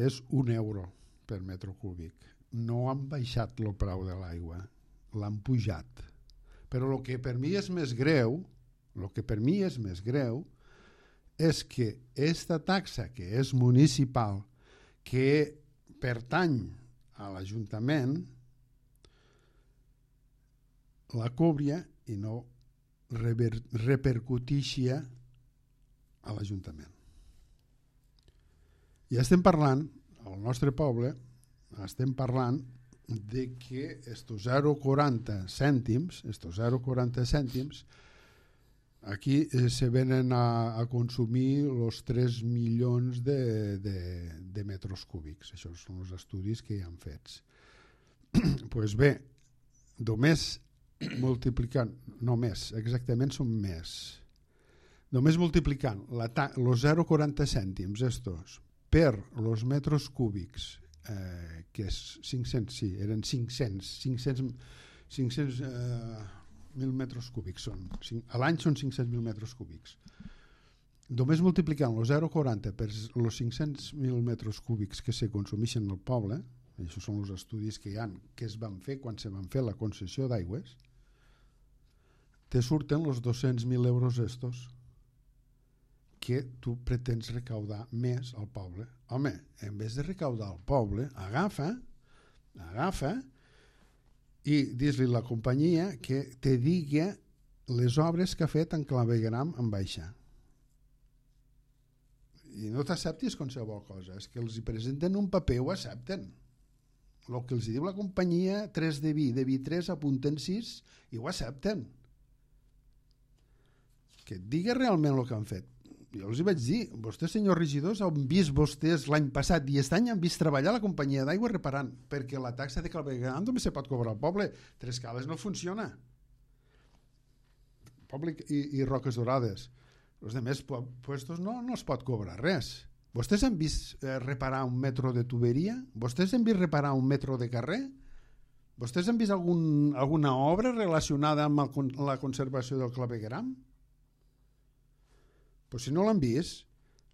és un euro per metre cúbic. No han baixat el preu de l'aigua, l'han pujat. Però el que per mi és més greu, el que per mi és més greu, és que aquesta taxa que és municipal, que pertany a l'Ajuntament, la cobria i no rever, repercutixia a l'Ajuntament. I estem parlant, al nostre poble, estem parlant de que estos zero coma quaranta cèntims, estos zero coma quaranta cèntims aquí eh, se venen a, a consumir els tres milions de, de, de metres cúbics. Això són els estudis que hi han fets. Pues bé, només multiplicant, no més, exactament són més, només multiplicant els zero coma quaranta cèntims estos per els metres cúbics, eh, que és cinc-cents, sí, eren cinc-cents, cinc-cents, cinc-cents eh, mil metres cúbics són, a l'any són cinc-cents mil metres cúbics. Només multiplicant els zero coma quaranta per els cinc-cents mil metres cúbics que se consumeixen al poble, això són els estudis que hi ha, que es van fer quan se van fer la concessió d'aigües, te surten els dos-cents mil euros estos que tu pretens recaudar més al poble. Home, en vez de recaudar al poble, agafa, agafa i dis-li a la companyia que te digui les obres que ha fet en clavegram en baixa. I no t'acceptis qualsevol cosa, és que els hi presenten un paper i ho accepten. El que els diu la companyia, tres de vi, de vi tres, apunten sis i ho accepten. Que et digui realment el que han fet. Jo els hi vaig dir, vostès, senyors regidors, han vist vostès l'any passat i aquest any han vist treballar la companyia d'aigua reparant, perquè la taxa de clavegueram només se pot cobrar al poble. Tres Cales no funciona. Poble i, i Roques Dorades. Els altres puestos no, no es pot cobrar res. Vostès han vist eh, reparar un metro de tuberia? Vostès han vist reparar un metro de carrer? Vostès han vist algun, alguna obra relacionada amb el, la conservació del clavegueram? Pues si no l'han vist,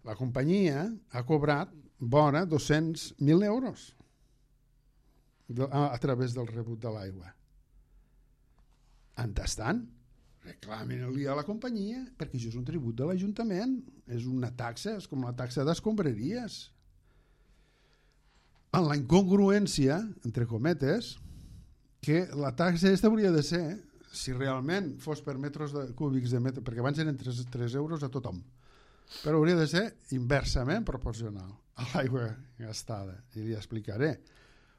la companyia ha cobrat vora dos-cents mil euros de, a, a través del rebut de l'aigua. Entestant, reclamin-li a la companyia, perquè això és un tribut de l'Ajuntament, és una taxa, és com la taxa d'escombraries. En la incongruència, entre cometes, que la taxa aquesta hauria de ser, si realment fos per metres de, cúbics de metre, perquè abans eren tres euros a tothom, però hauria de ser inversament proporcional a l'aigua gastada. I li explicaré.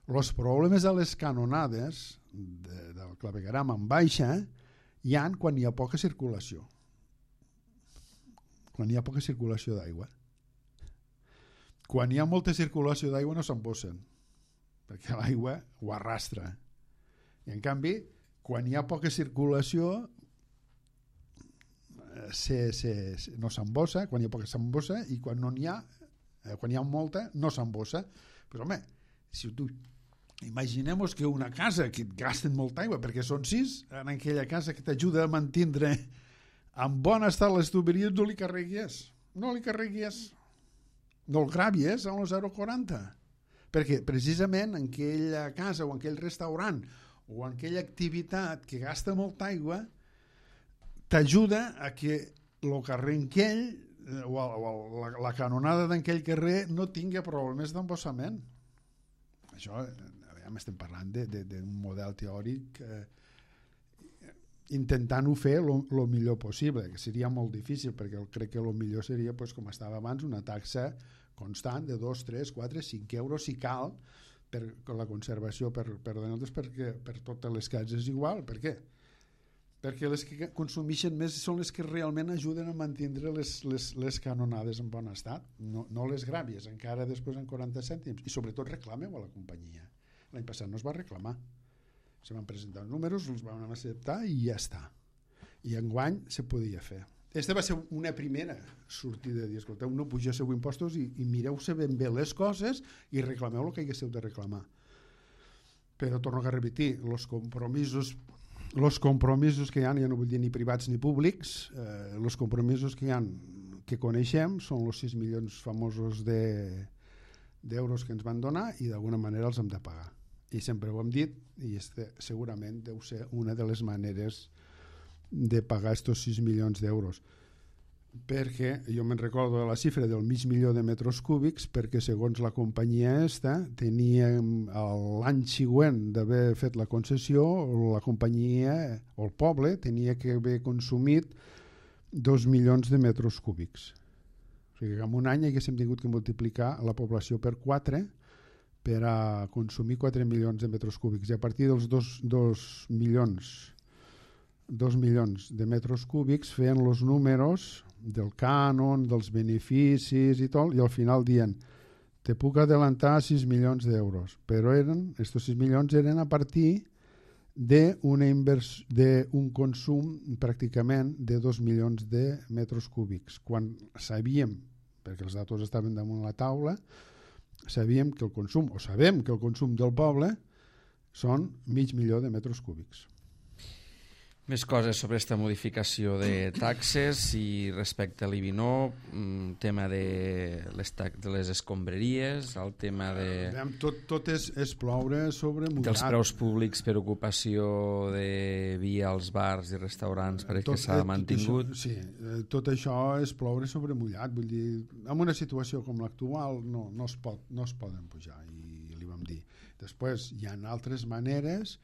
Els problemes de les canonades de, del clavegueram en baixa hi ha quan hi ha poca circulació. Quan hi ha poca circulació d'aigua. Quan hi ha molta circulació d'aigua no s'embossen, perquè l'aigua ho arrastra. I en canvi, quan hi ha poca circulació se, se, se, no s'embossa, quan hi ha poca s'embossa, i quan no n'hi ha, eh, quan hi ha molta no s'embossa. Però home, si tu imaginem-nos que una casa que et gasten molta aigua, perquè són sis, en aquella casa que t'ajuda a mantindre en bon estat les tuberies, no li carregues, no li carregues, no el gravies amb el zero coma quaranta, perquè precisament en aquella casa o en aquell restaurant o en aquella activitat que gasta molta aigua t'ajuda a que el carrer en aquell o, o la, la canonada d'aquell carrer no tingui problemes d'embossament. Això, aviam, estem parlant d'un model teòric eh, intentant-ho fer el millor possible, que seria molt difícil, perquè crec que el millor seria, pues, com estava abans, una taxa constant de dos, tres, quatre, cinc euros si cal, per la conservació per, per nosaltres, perquè per totes les cases és igual. Per què? Perquè les que consumeixen més són les que realment ajuden a mantenir les, les, les canonades en bon estat, no, no les gràvies, encara després en quaranta cèntims, i sobretot reclameu a la companyia. L'any passat no es va reclamar, se van presentar els números, els van acceptar i ja està. I enguany se podia fer. Aquesta va ser una primera sortida de dir, escolteu, no pugéssiu impostos i, i mireu-se ben bé les coses i reclameu el que haguéssiu de reclamar. Però torno a repetir, els compromisos, els compromisos que hi ha, ja no vull dir ni privats ni públics, eh, els compromisos que hi ha que coneixem són els sis milions famosos de, d'euros que ens van donar i d'alguna manera els hem de pagar. I sempre ho hem dit, i este segurament deu ser una de les maneres de pagar estos sis milions d'euros, perquè jo me'n recordo de la xifra del mig milió de metres cúbics, perquè segons la companyia esta teníem l'any següent d'haver fet la concessió, la companyia o el poble tenia que haver consumit dos milions de metres cúbics. O sigui que en un any haguéssim tingut que multiplicar la població per quatre per a consumir quatre milions de metres cúbics, i a partir dels dos, dos milions dos milions de metres cúbics, feien els números del cànon, dels beneficis i tot, i al final dient te puc adelantar sis milions d'euros, però eren, estos sis milions eren a partir d'un consum pràcticament de dos milions de metres cúbics, quan sabíem, perquè els datos estaven damunt la taula, sabíem que el consum, o sabem que el consum del poble són mig milió de metres cúbics. Més coses sobre aquesta modificació de taxes i respecte a l'I B I N O, tema de les, de les escombraries, el tema de... Tot, tot és, és ploure sobre mullat. Dels preus públics per ocupació de via als bars i restaurants, perquè tot, s'ha mantingut. Tot això, sí, tot això és ploure sobre mullat. Vull dir, en una situació com l'actual no, no, es pot, no es poden pujar, i li vam dir. Després hi ha altres maneres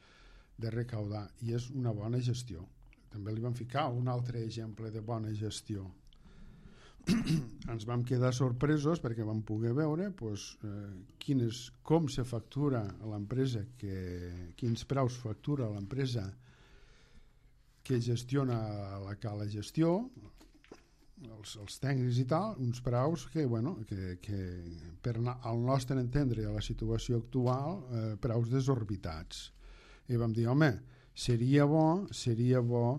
de recaudar, i és una bona gestió. També li vam ficar un altre exemple de bona gestió. Ens vam quedar sorpresos perquè vam poder veure pues, eh, quines, com se factura a l'empresa, que, quins preus factura l'empresa que gestiona la cala gestió, els, els tècnics i tal, uns preus que, bueno, que, que per al nostre entendre a la situació actual, eh, preus desorbitats. I vam dir, home, seria bo, seria bo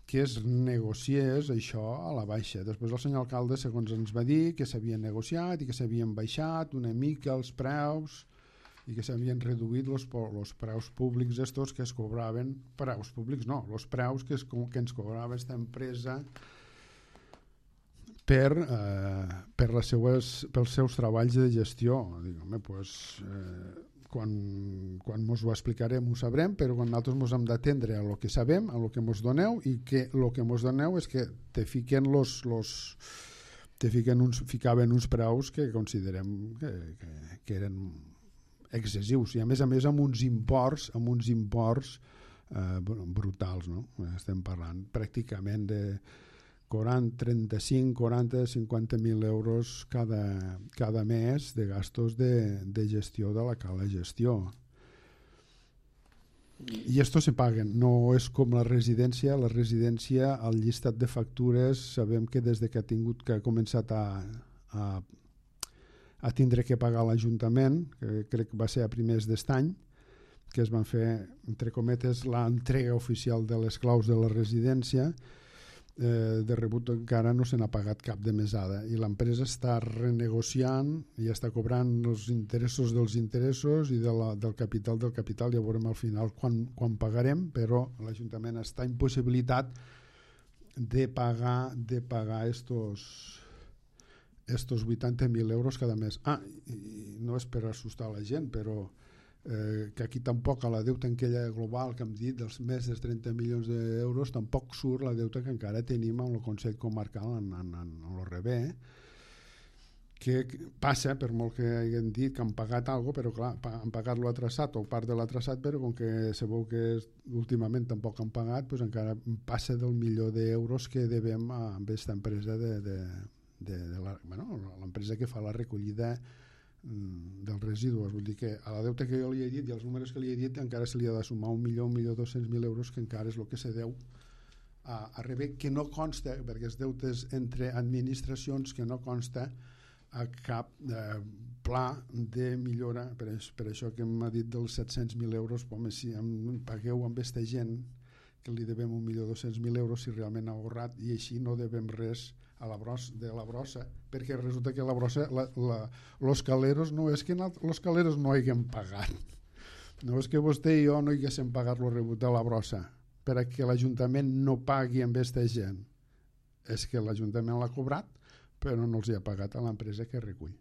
que es negociés això a la baixa. Després el senyor alcalde, segons ens va dir, que s'havien negociat i que s'havien baixat una mica els preus i que s'havien reduït els preus públics estos que es cobraven, preus públics no, els preus que, es, que ens cobrava aquesta empresa per, eh, per les seues, pels seus treballs de gestió. Dic, home, doncs... Eh, quan, quan mos ho explicarem ho sabrem, però quan nosaltres mos hem d'atendre a lo que sabem, a lo que mos doneu, i que lo que mos doneu és que te fiquen los, los te fiquen uns, ficaven uns preus que considerem que, que, que eren excessius, i a més a més amb uns imports amb uns imports eh, brutals, no? Estem parlant pràcticament de quaranta, trenta-cinc, quaranta, cinquanta mil euros cada, cada mes de gastos de, de gestió de la cala gestió. I esto se paguen, no és com la residència. La residència, al llistat de factures, sabem que des de que ha tingut que ha començat a, a, a tindre que pagar l'Ajuntament, que crec que va ser a primers d'est any, que es van fer, entre cometes, l'entrega oficial de les claus de la residència, Eh, de rebut encara no se n'ha pagat cap de mesada, i l'empresa està renegociant i està cobrant els interessos dels interessos i de la, del capital del capital. Ja veurem al final quan, quan pagarem, però l'Ajuntament està impossibilitat de pagar de pagar estos estos vuitanta mil euros cada mes. Ah, i no és per assustar la gent, però Eh, que aquí tampoc a la deuta aquella global que hem dit dels més de trenta milions d'euros tampoc surt la deuta que encara tenim amb el Consell Comarcal en, en, en, en l'O R B, que passa, per molt que hagin dit que han pagat alguna cosa, però clar, han pagat lo traçat o part de l'ha traçat, però com que se veu que últimament tampoc han pagat, doncs encara passa del milió d'euros que devem a aquesta empresa de, de, de, de la, bueno, l'empresa que fa la recollida dels residus. Vull dir que a la deuta que jo li he dit i als números que li he dit encara se li ha de sumar un milió, un milió dos-cents mil euros, que encara és el que se deu a, a rebé, que no consta, perquè els deutes entre administracions, que no consta a cap eh, pla de millora. Per, per això que m'ha dit dels set-cents mil euros, home, si em pagueu amb aquesta gent que li devem un milió dos-cents mil euros, si realment ha ahorrat, i així no devem res a la brossa, de la brossa, perquè resulta que la brossa, la, la, los caleros no és que los caleros no haguem pagat, no és que vostè i jo no haguéssim pagat lo rebut de la brossa perquè l'Ajuntament no pagui amb aquesta gent, és que l'Ajuntament l'ha cobrat però no els hi ha pagat a l'empresa que recull.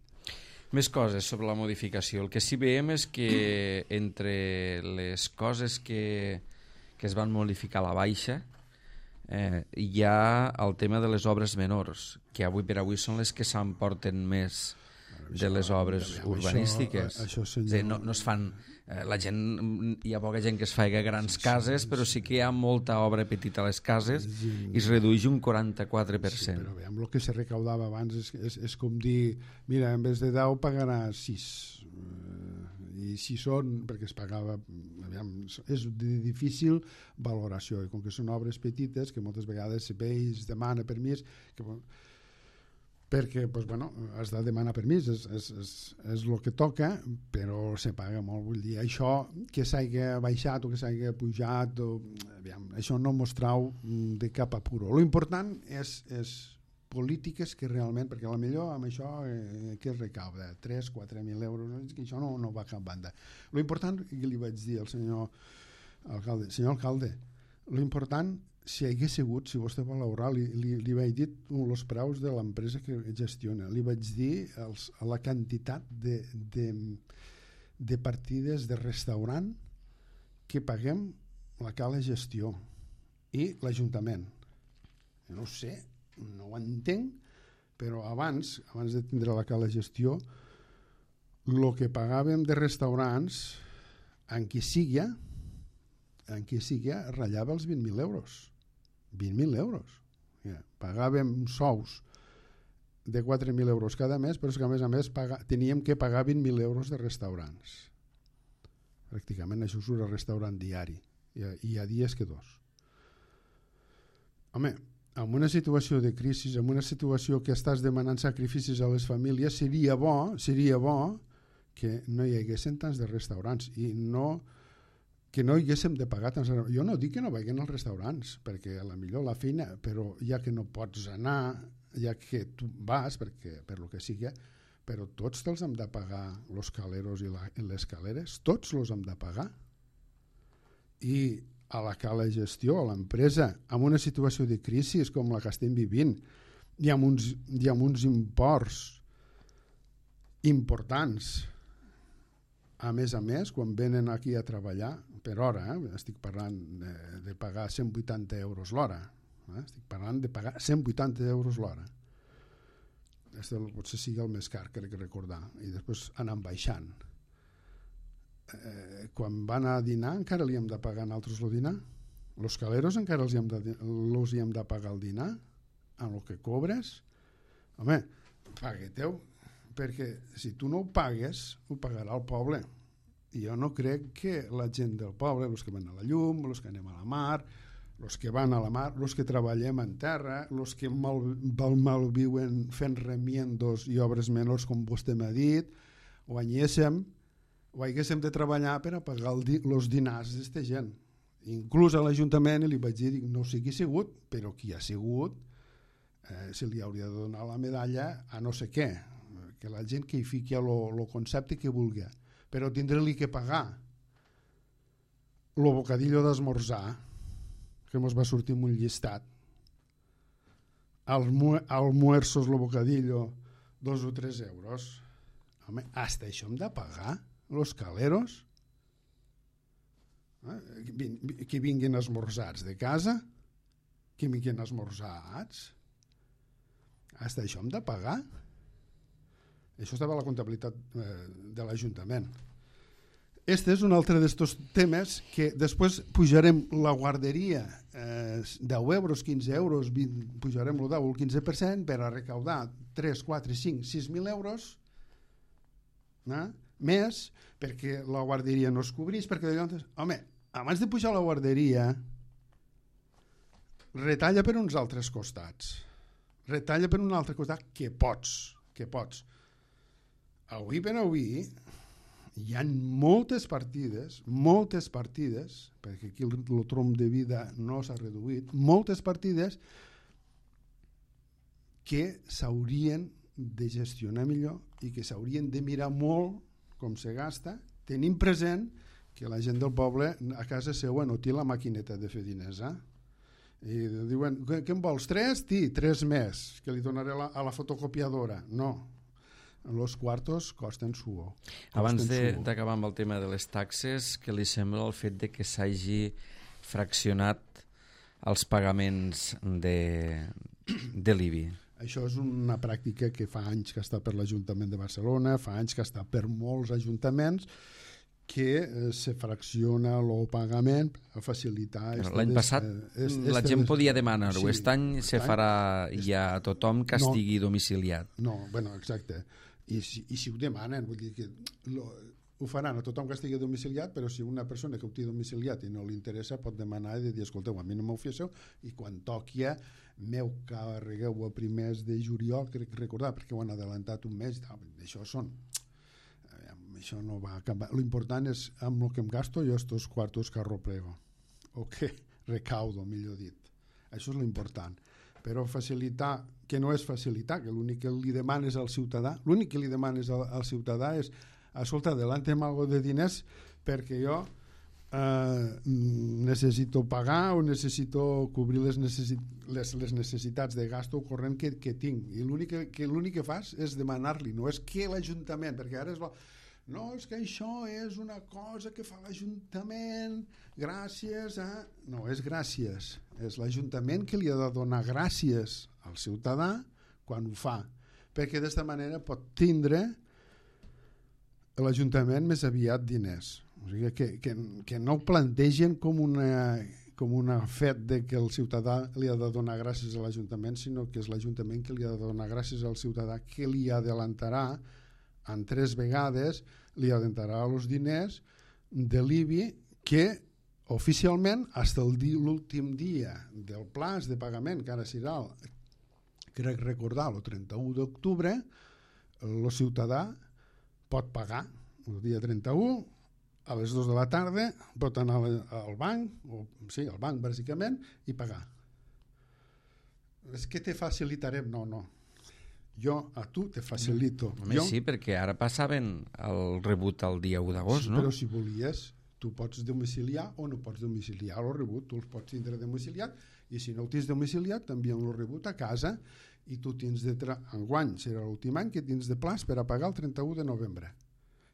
Més coses sobre la modificació. El que sí veiem és que entre les coses que, que es van modificar a la baixa, Eh, hi ha el tema de les obres menors, que avui per avui són les que s'emporten més de les obres urbanístiques. Això, això dir, no, no es fan, eh, la gent, hi ha poca gent que es fa grans sí, cases, sí, però sí que hi ha molta obra petita a les cases sí, i es redueix un quaranta-quatre per cent. Sí, però veiem, el que se recaudava abans és, és, és com dir, mira, en vez de deu pagarà sis, eh, i si són, perquè es pagava, aviam, és de difícil valoració, i com que són obres petites, que moltes vegades se veig, es demana permís, que, perquè pues, bueno, has de demanar permís, és, és, és, és el que toca, però se paga molt. Vull dir, això que s'hagi baixat o que s'hagi pujat, o, aviam, això no mostrau de cap apuro. Lo important és, és polítiques que realment, perquè a la millor amb això eh, que es recauda tres a quatre mil euros, que això no, no va a cap banda. Lo important, que li vaig dir al senyor alcalde, senyor alcalde, lo important, si hagués sigut, si vostè vol valorar, li, li, li vaig dir els preus de l'empresa que gestiona, li vaig dir els, la quantitat de, de, de partides de restaurant que paguem la cala gestió i l'Ajuntament. Jo no ho sé, no ho entenc, però abans, abans de tindre la cala gestió, el que pagàvem de restaurants, en qui sigui, en qui sigui, ratllava els vint mil euros. vint mil euros. Yeah. Pagàvem sous de quatre mil euros cada mes, però és que a més a més paga, teníem que pagar vint mil euros de restaurants. Pràcticament això és un restaurant diari. Hi ha, hi ha dies que dos. Home, en una situació de crisi, en una situació que estàs demanant sacrificis a les famílies, seria bo, seria bo que no hi haguessin tants de restaurants i no, que no hi haguéssim de pagar tants. Jo no dic que no vagin als restaurants, perquè a la millor la feina, però ja que no pots anar, ja que tu vas, perquè per lo que sigui, però tots te'ls hem de pagar, los caleros i, la, i les caleres, tots los hem de pagar. I a la cala gestió, a l'empresa, en una situació de crisi com la que estem vivint, i amb uns, i amb uns imports importants, a més a més, quan venen aquí a treballar, per hora, eh? estic parlant de, de pagar cent vuitanta euros l'hora, eh? estic parlant de pagar cent vuitanta euros l'hora. Aquest potser sigui el més car, crec recordar, i després anant baixant. Eh, quan van a dinar encara li hem de pagar a nosaltres el dinar, los caleros encara els hi hem de, els hi hem de pagar el dinar amb el que cobres. Home, pagueteu, perquè si tu no ho pagues ho pagarà el poble, i jo no crec que la gent del poble, els que van a la llum, els que anem a la mar, els que van a la mar, els que treballem en terra, els que mal, mal, mal viuen fent remiendos i obres menors com vostè m'ha dit, guanyéssim o haguéssim de treballar per a pagar els di dinars d'esta gent. Inclús a l'Ajuntament li vaig dir, no sigui sigut, però qui ha sigut eh, se li hauria de donar la medalla a no sé què, que la gent que hi fiqui el concepte que vulgui, però tindre-li que pagar el bocadillo d'esmorzar, que ens va sortir en un llistat, almuerzos, el bocadillo, dos o tres euros. Home, hasta això hem de pagar? Los caleros, eh? que vinguin esmorzats de casa, que vinguin esmorzats, hasta això hem de pagar? Això estava a la comptabilitat eh, de l'Ajuntament. Este és un altre d'estos temes que després pujarem la guarderia eh, deu euros, quinze euros, vint, pujarem el deu o el quinze per cent per a recaudar tres, quatre, cinc, sis mil euros, eh? Més perquè la guarderia no es cobrís, perquè home, abans de pujar la guarderia retalla per uns altres costats, retalla per un altre costat que pots, que pots. Avui per avui hi ha moltes partides, moltes partides, perquè aquí el, el trom de vida no s'ha reduït, moltes partides que s'haurien de gestionar millor i que s'haurien de mirar molt com se gasta, tenim present que la gent del poble a casa seva no té la maquineta de fer diners, eh? I diuen, què en vols, tres? Tí, tres més, que li donaré la, a la fotocopiadora. No, els quartos costen suor. Abans d'acabar amb el tema de les taxes, què li sembla el fet de que s'hagi fraccionat els pagaments de, de l'I B I? Això és una pràctica que fa anys que està per l'Ajuntament de Barcelona, fa anys que està per molts ajuntaments, que eh, se fracciona el pagament a facilitar... L'any passat eh, este la gent des... podia demanar-ho, sí, aquest any se farà ja a tothom que no, estigui domiciliat. No, bueno, exacte. I si, i si ho demanen, vull dir que lo, ho faran a tothom que estigui domiciliat, però si una persona que ho té domiciliat i no li interessa pot demanar i dir, escolteu, a mi no m'ho feu i quan toqui m'heu carregueu a primers de juliol, crec recordar, perquè ho han adelantat un mes, això són això no va acabar. L'important és amb el que em gasto jo estos quartos que arroplego o que recaudo, millor dit. Això és l'important. Però facilitar, que no és facilitar, que l'únic que li demanes al ciutadà, l'únic que li demanes al, al ciutadà és, escolta, adelanta'm algo de diners perquè jo eh, necessito pagar o necessito cobrir les, necessit les, les necessitats de gasto corrent que, que tinc. I l'únic que, que, l'únic que fas és demanar-li, no és que l'Ajuntament, perquè ara és... Bo, no, és que això és una cosa que fa l'Ajuntament gràcies a... No, és gràcies. És l'Ajuntament que li ha de donar gràcies al ciutadà quan ho fa. Perquè d'esta manera pot tindre l'Ajuntament més aviat diners. O sigui, que, que, que no ho plantegen com una, com una fet de que el ciutadà li ha de donar gràcies a l'Ajuntament, sinó que és l'Ajuntament que li ha de donar gràcies al ciutadà, que li adelantarà en tres vegades li adelantarà els diners de l'I B I que oficialment fins a l'últim dia del plaç de pagament, que ara serà, crec recordar, el trenta-u d'octubre, el ciutadà pot pagar el dia trenta-u a les dues de la tarda, pot anar al banc, o, sí, al banc bàsicament, i pagar. És que te facilitarem, no, no. Jo a tu te facilito. Home, jo... Sí, perquè ara passaven el rebut el dia u d'agost, sí, no? Però si volies, tu pots domiciliar o no pots domiciliar el rebut, tu els pots tindre domiciliat i si no ho tens domiciliat t'envien el rebut a casa i tu tens de... Tra... Enguany serà l'últim any que tens de plaç per a pagar el trenta-u de novembre.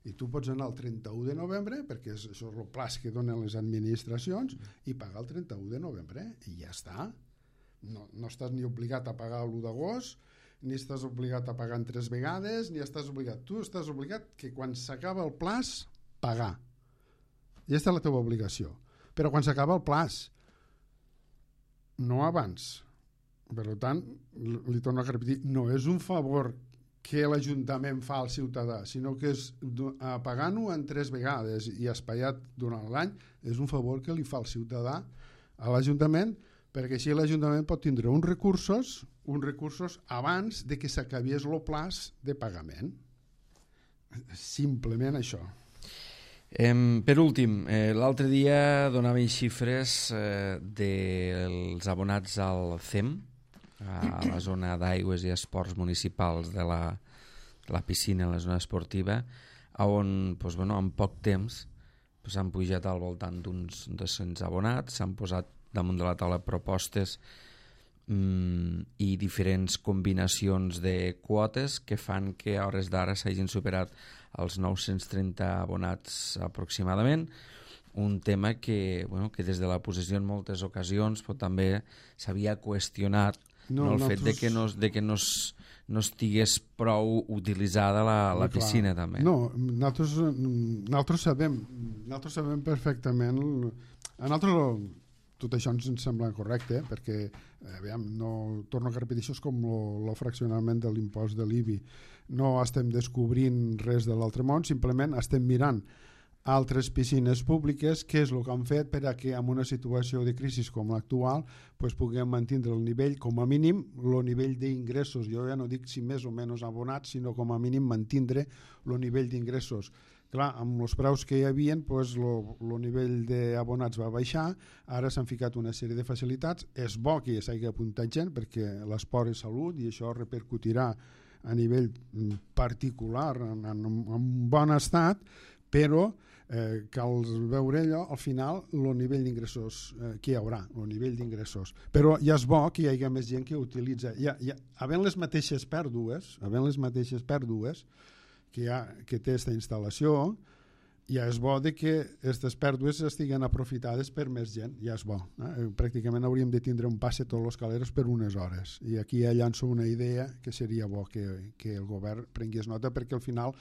I tu pots anar el trenta-u de novembre, perquè és, això és el plaç que donen les administracions, i pagar el trenta-u de novembre i ja està. No, no estàs ni obligat a pagar l'u d'agost, ni estàs obligat a pagar en tres vegades, ni estàs obligat. Tu estàs obligat que quan s'acaba el plaç, pagar. I aquesta és la teva obligació. Però quan s'acaba el plaç, no abans. Per tant, li torno a repetir, no és un favor que l'Ajuntament fa al ciutadà, sinó que és pagant-ho en tres vegades i espaiat durant l'any, és un favor que li fa el ciutadà a l'Ajuntament, perquè així l'Ajuntament pot tindre uns recursos uns recursos abans de que s'acabiés el plaç de pagament. Simplement això. Eh, per últim, eh, l'altre dia donaven xifres eh, dels abonats al C E M, a la zona d'aigües i esports municipals de la, de la piscina, la zona esportiva, on pues, bueno, en poc temps s'han pues, pujat al voltant d'uns dos-cents abonats, s'han posat damunt de la taula propostes mm, i diferents combinacions de quotes que fan que a hores d'ara s'hagin superat els nou-cents trenta abonats aproximadament, un tema que, bueno, que des de la possessió en moltes ocasions però també s'havia qüestionat no, no, el fet de que no, de que no, es, no estigués prou utilitzada la, la piscina clar. També. No, nosaltres, nosaltres, sabem, nosaltres sabem perfectament, a nosaltres tot això ens sembla correcte, perquè aviam, no, torno a repetir, això és com el fraccionament de l'impost de l'I B I. No estem descobrint res de l'altre món, simplement estem mirant altres piscines públiques, què és el que han fet per a que en una situació de crisi com l'actual pues, puguem mantenir el nivell, com a mínim, el nivell d'ingressos. Jo ja no dic si més o menys abonats, sinó com a mínim mantenir el nivell d'ingressos. Clar, amb els preus que hi havia, pues, el nivell d'abonats va baixar, ara s'han ficat una sèrie de facilitats. És bo que s'hagi apuntat gent perquè l'esport és salut i això repercutirà a nivell particular en, en, en un bon estat, però eh, cal veure allò, al final, el nivell d'ingressos eh, que hi haurà, el nivell d'ingressos. Però ja és bo que hi hagi més gent que utilitza. Ja, ja, havent les mateixes pèrdues, havent les mateixes pèrdues que, ha, que té aquesta instal·lació, ja és bo de que aquestes pèrdues estiguen aprofitades per més gent, ja és bo. Eh? Pràcticament hauríem de tindre un passe tots els caleros per unes hores. I aquí ja llanço una idea que seria bo que, que el govern prengués nota, perquè al final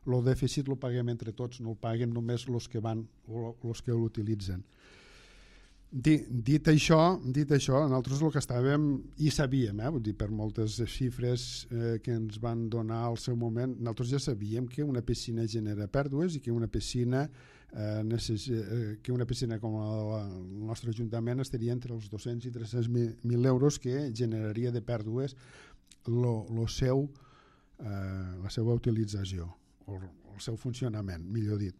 el dèficit el paguem entre tots, no el paguen només els que van o els que l'utilitzen. Dit, dit això, dit això, nosaltres el que estàvem i sabíem, eh, vull dir, per moltes xifres eh, que ens van donar al seu moment, nosaltres ja sabíem que una piscina genera pèrdues i que una piscina eh, necess... eh, que una piscina com la, el nostre Ajuntament estaria entre els dos-cents i tres-cents mil euros que generaria de pèrdues lo, lo seu, eh, la seva utilització o el seu funcionament, millor dit.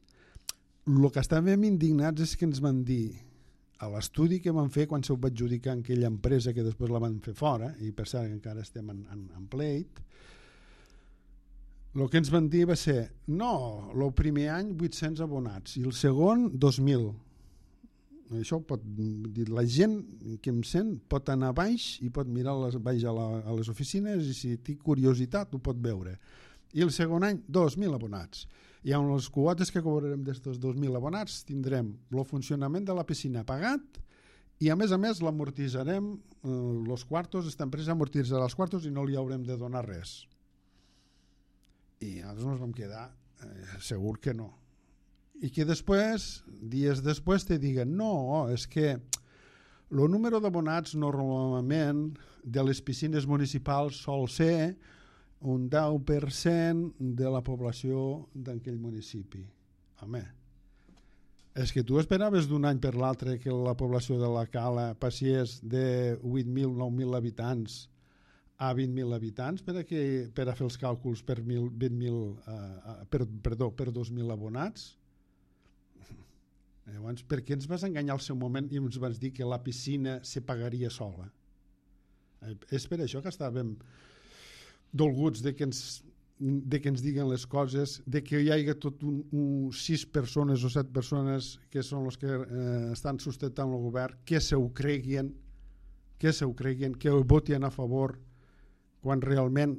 El que estàvem indignats és que ens van dir a l'estudi que van fer quan s'ho va adjudicar en aquella empresa que després la van fer fora, i per cert encara estem en, en, en pleit, el que ens van dir va ser no, el primer any vuit-cents abonats i el segon dos mil. Això pot dir, la gent que em sent pot anar baix i pot mirar les, baix a, la, a les oficines i si té curiositat ho pot veure. I el segon any dos mil abonats. I amb les quotes que cobrarem d'estos dos mil abonats tindrem el funcionament de la piscina pagat i a més a més l'amortitzarem, eh, els quartos, esta empresa amortitzarà els quartos i no li haurem de donar res. I nosaltres ens vam quedar eh, segur que no. I que després, dies després, te diguen no, és que el número d'abonats normalment de les piscines municipals sol ser un deu per cent de la població d'aquell municipi. Home, és que tu esperaves d'un any per l'altre que la població de la Cala passés de vuit mil, nou mil habitants a vint mil habitants per a, que, per a fer els càlculs per, mil, vint mil, uh, per, perdó, per dos mil abonats? Llavors, per què ens vas enganyar al seu moment i ens vas dir que la piscina se pagaria sola? Eh, és per això que estàvem dolguts de que ens de que ens diguen les coses, de que hi hagi tot un, un sis persones o set persones que són els que eh, estan sustentant el govern, que se ho creguin, que se ho creguin, que ho votin a favor, quan realment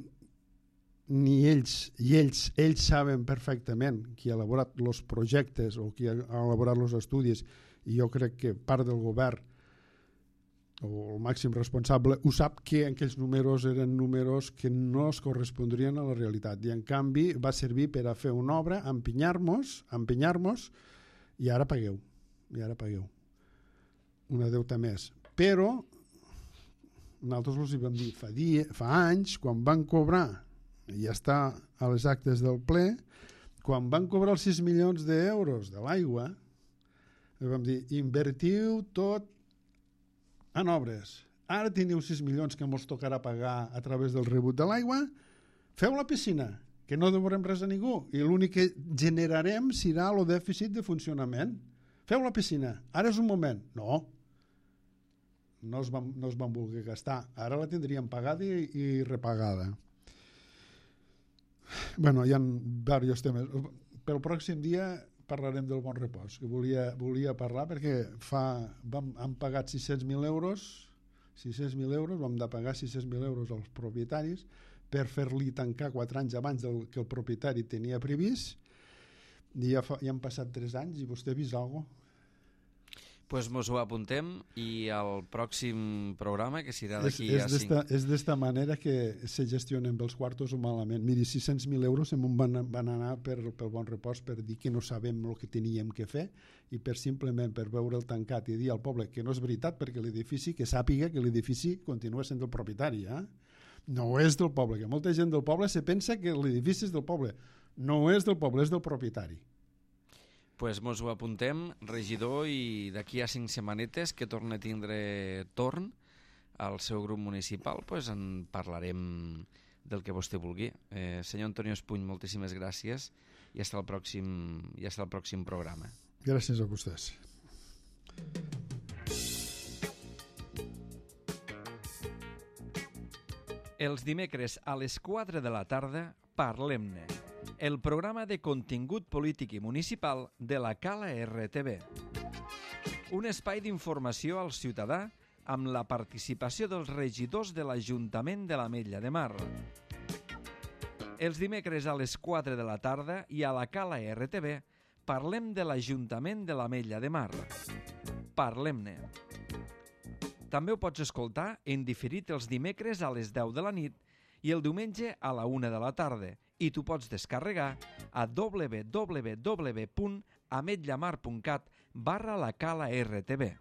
ni ells, i ells, ells saben perfectament qui ha elaborat els projectes o qui ha elaborat els estudis, i jo crec que part del govern o el màxim responsable ho sap, que aquells números eren números que no es correspondrien a la realitat i en canvi va servir per a fer una obra, empinyar-nos empinyar-nos i ara pagueu i ara pagueu una deuta més, però nosaltres els hi vam dir fa, dia, fa anys, quan van cobrar i ja està a les actes del ple, quan van cobrar els sis milions d'euros de l'aigua, vam dir invertiu tot en obres. Ara teniu sis milions que ens tocarà pagar a través del rebut de l'aigua. Feu la piscina, que no devorem res a ningú, i l'únic que generarem serà el dèficit de funcionament. Feu la piscina, ara és un moment. No, no es van, no es van voler gastar. Ara la tindríem pagada i, i repagada. Bueno, hi ha diversos temes. Pel pròxim dia parlarem del Bon Repòs, que volia, volia parlar perquè fa, vam, han pagat sis-cents mil euros, sis-cents mil euros, vam de pagar sis-cents mil euros als propietaris per fer-li tancar quatre anys abans del que el propietari tenia previst, i ja, fa, ja han passat tres anys i vostè ha vist alguna cosa? Pues mos ho apuntem i al pròxim programa, que serà d'aquí a cinc... És d'esta manera que se gestionen els quartos o malament. Miri, sis-cents mil euros em van, van anar per, pel Bon Repòs per dir que no sabem el que teníem que fer i per simplement per veure el tancat i dir al poble que no és veritat, perquè l'edifici, que sàpiga que l'edifici continua sent del propietari, eh? No és del poble, que molta gent del poble se pensa que l'edifici és del poble. No és del poble, és del propietari. Pues mos ho apuntem, regidor, i d'aquí a cinc setmanetes que torna a tindre torn al seu grup municipal, pues en parlarem del que vostè vulgui. Eh, senyor Antonio Espuny, moltíssimes gràcies i fins al pròxim, i fins al pròxim programa. Gràcies a vostès. Els dimecres a les quatre de la tarda, Parlem-ne, el programa de contingut polític i municipal de la Cala R T V. Un espai d'informació al ciutadà amb la participació dels regidors de l'Ajuntament de l'Ametlla de Mar. Els dimecres a les quatre de la tarda i a la Cala R T V parlem de l'Ajuntament de l'Ametlla de Mar. Parlem-ne. També ho pots escoltar en diferit els dimecres a les deu de la nit i el diumenge a la una de la tarda, i tu pots descarregar a w w w punt ametllamar punt cat barra la Cala R T V.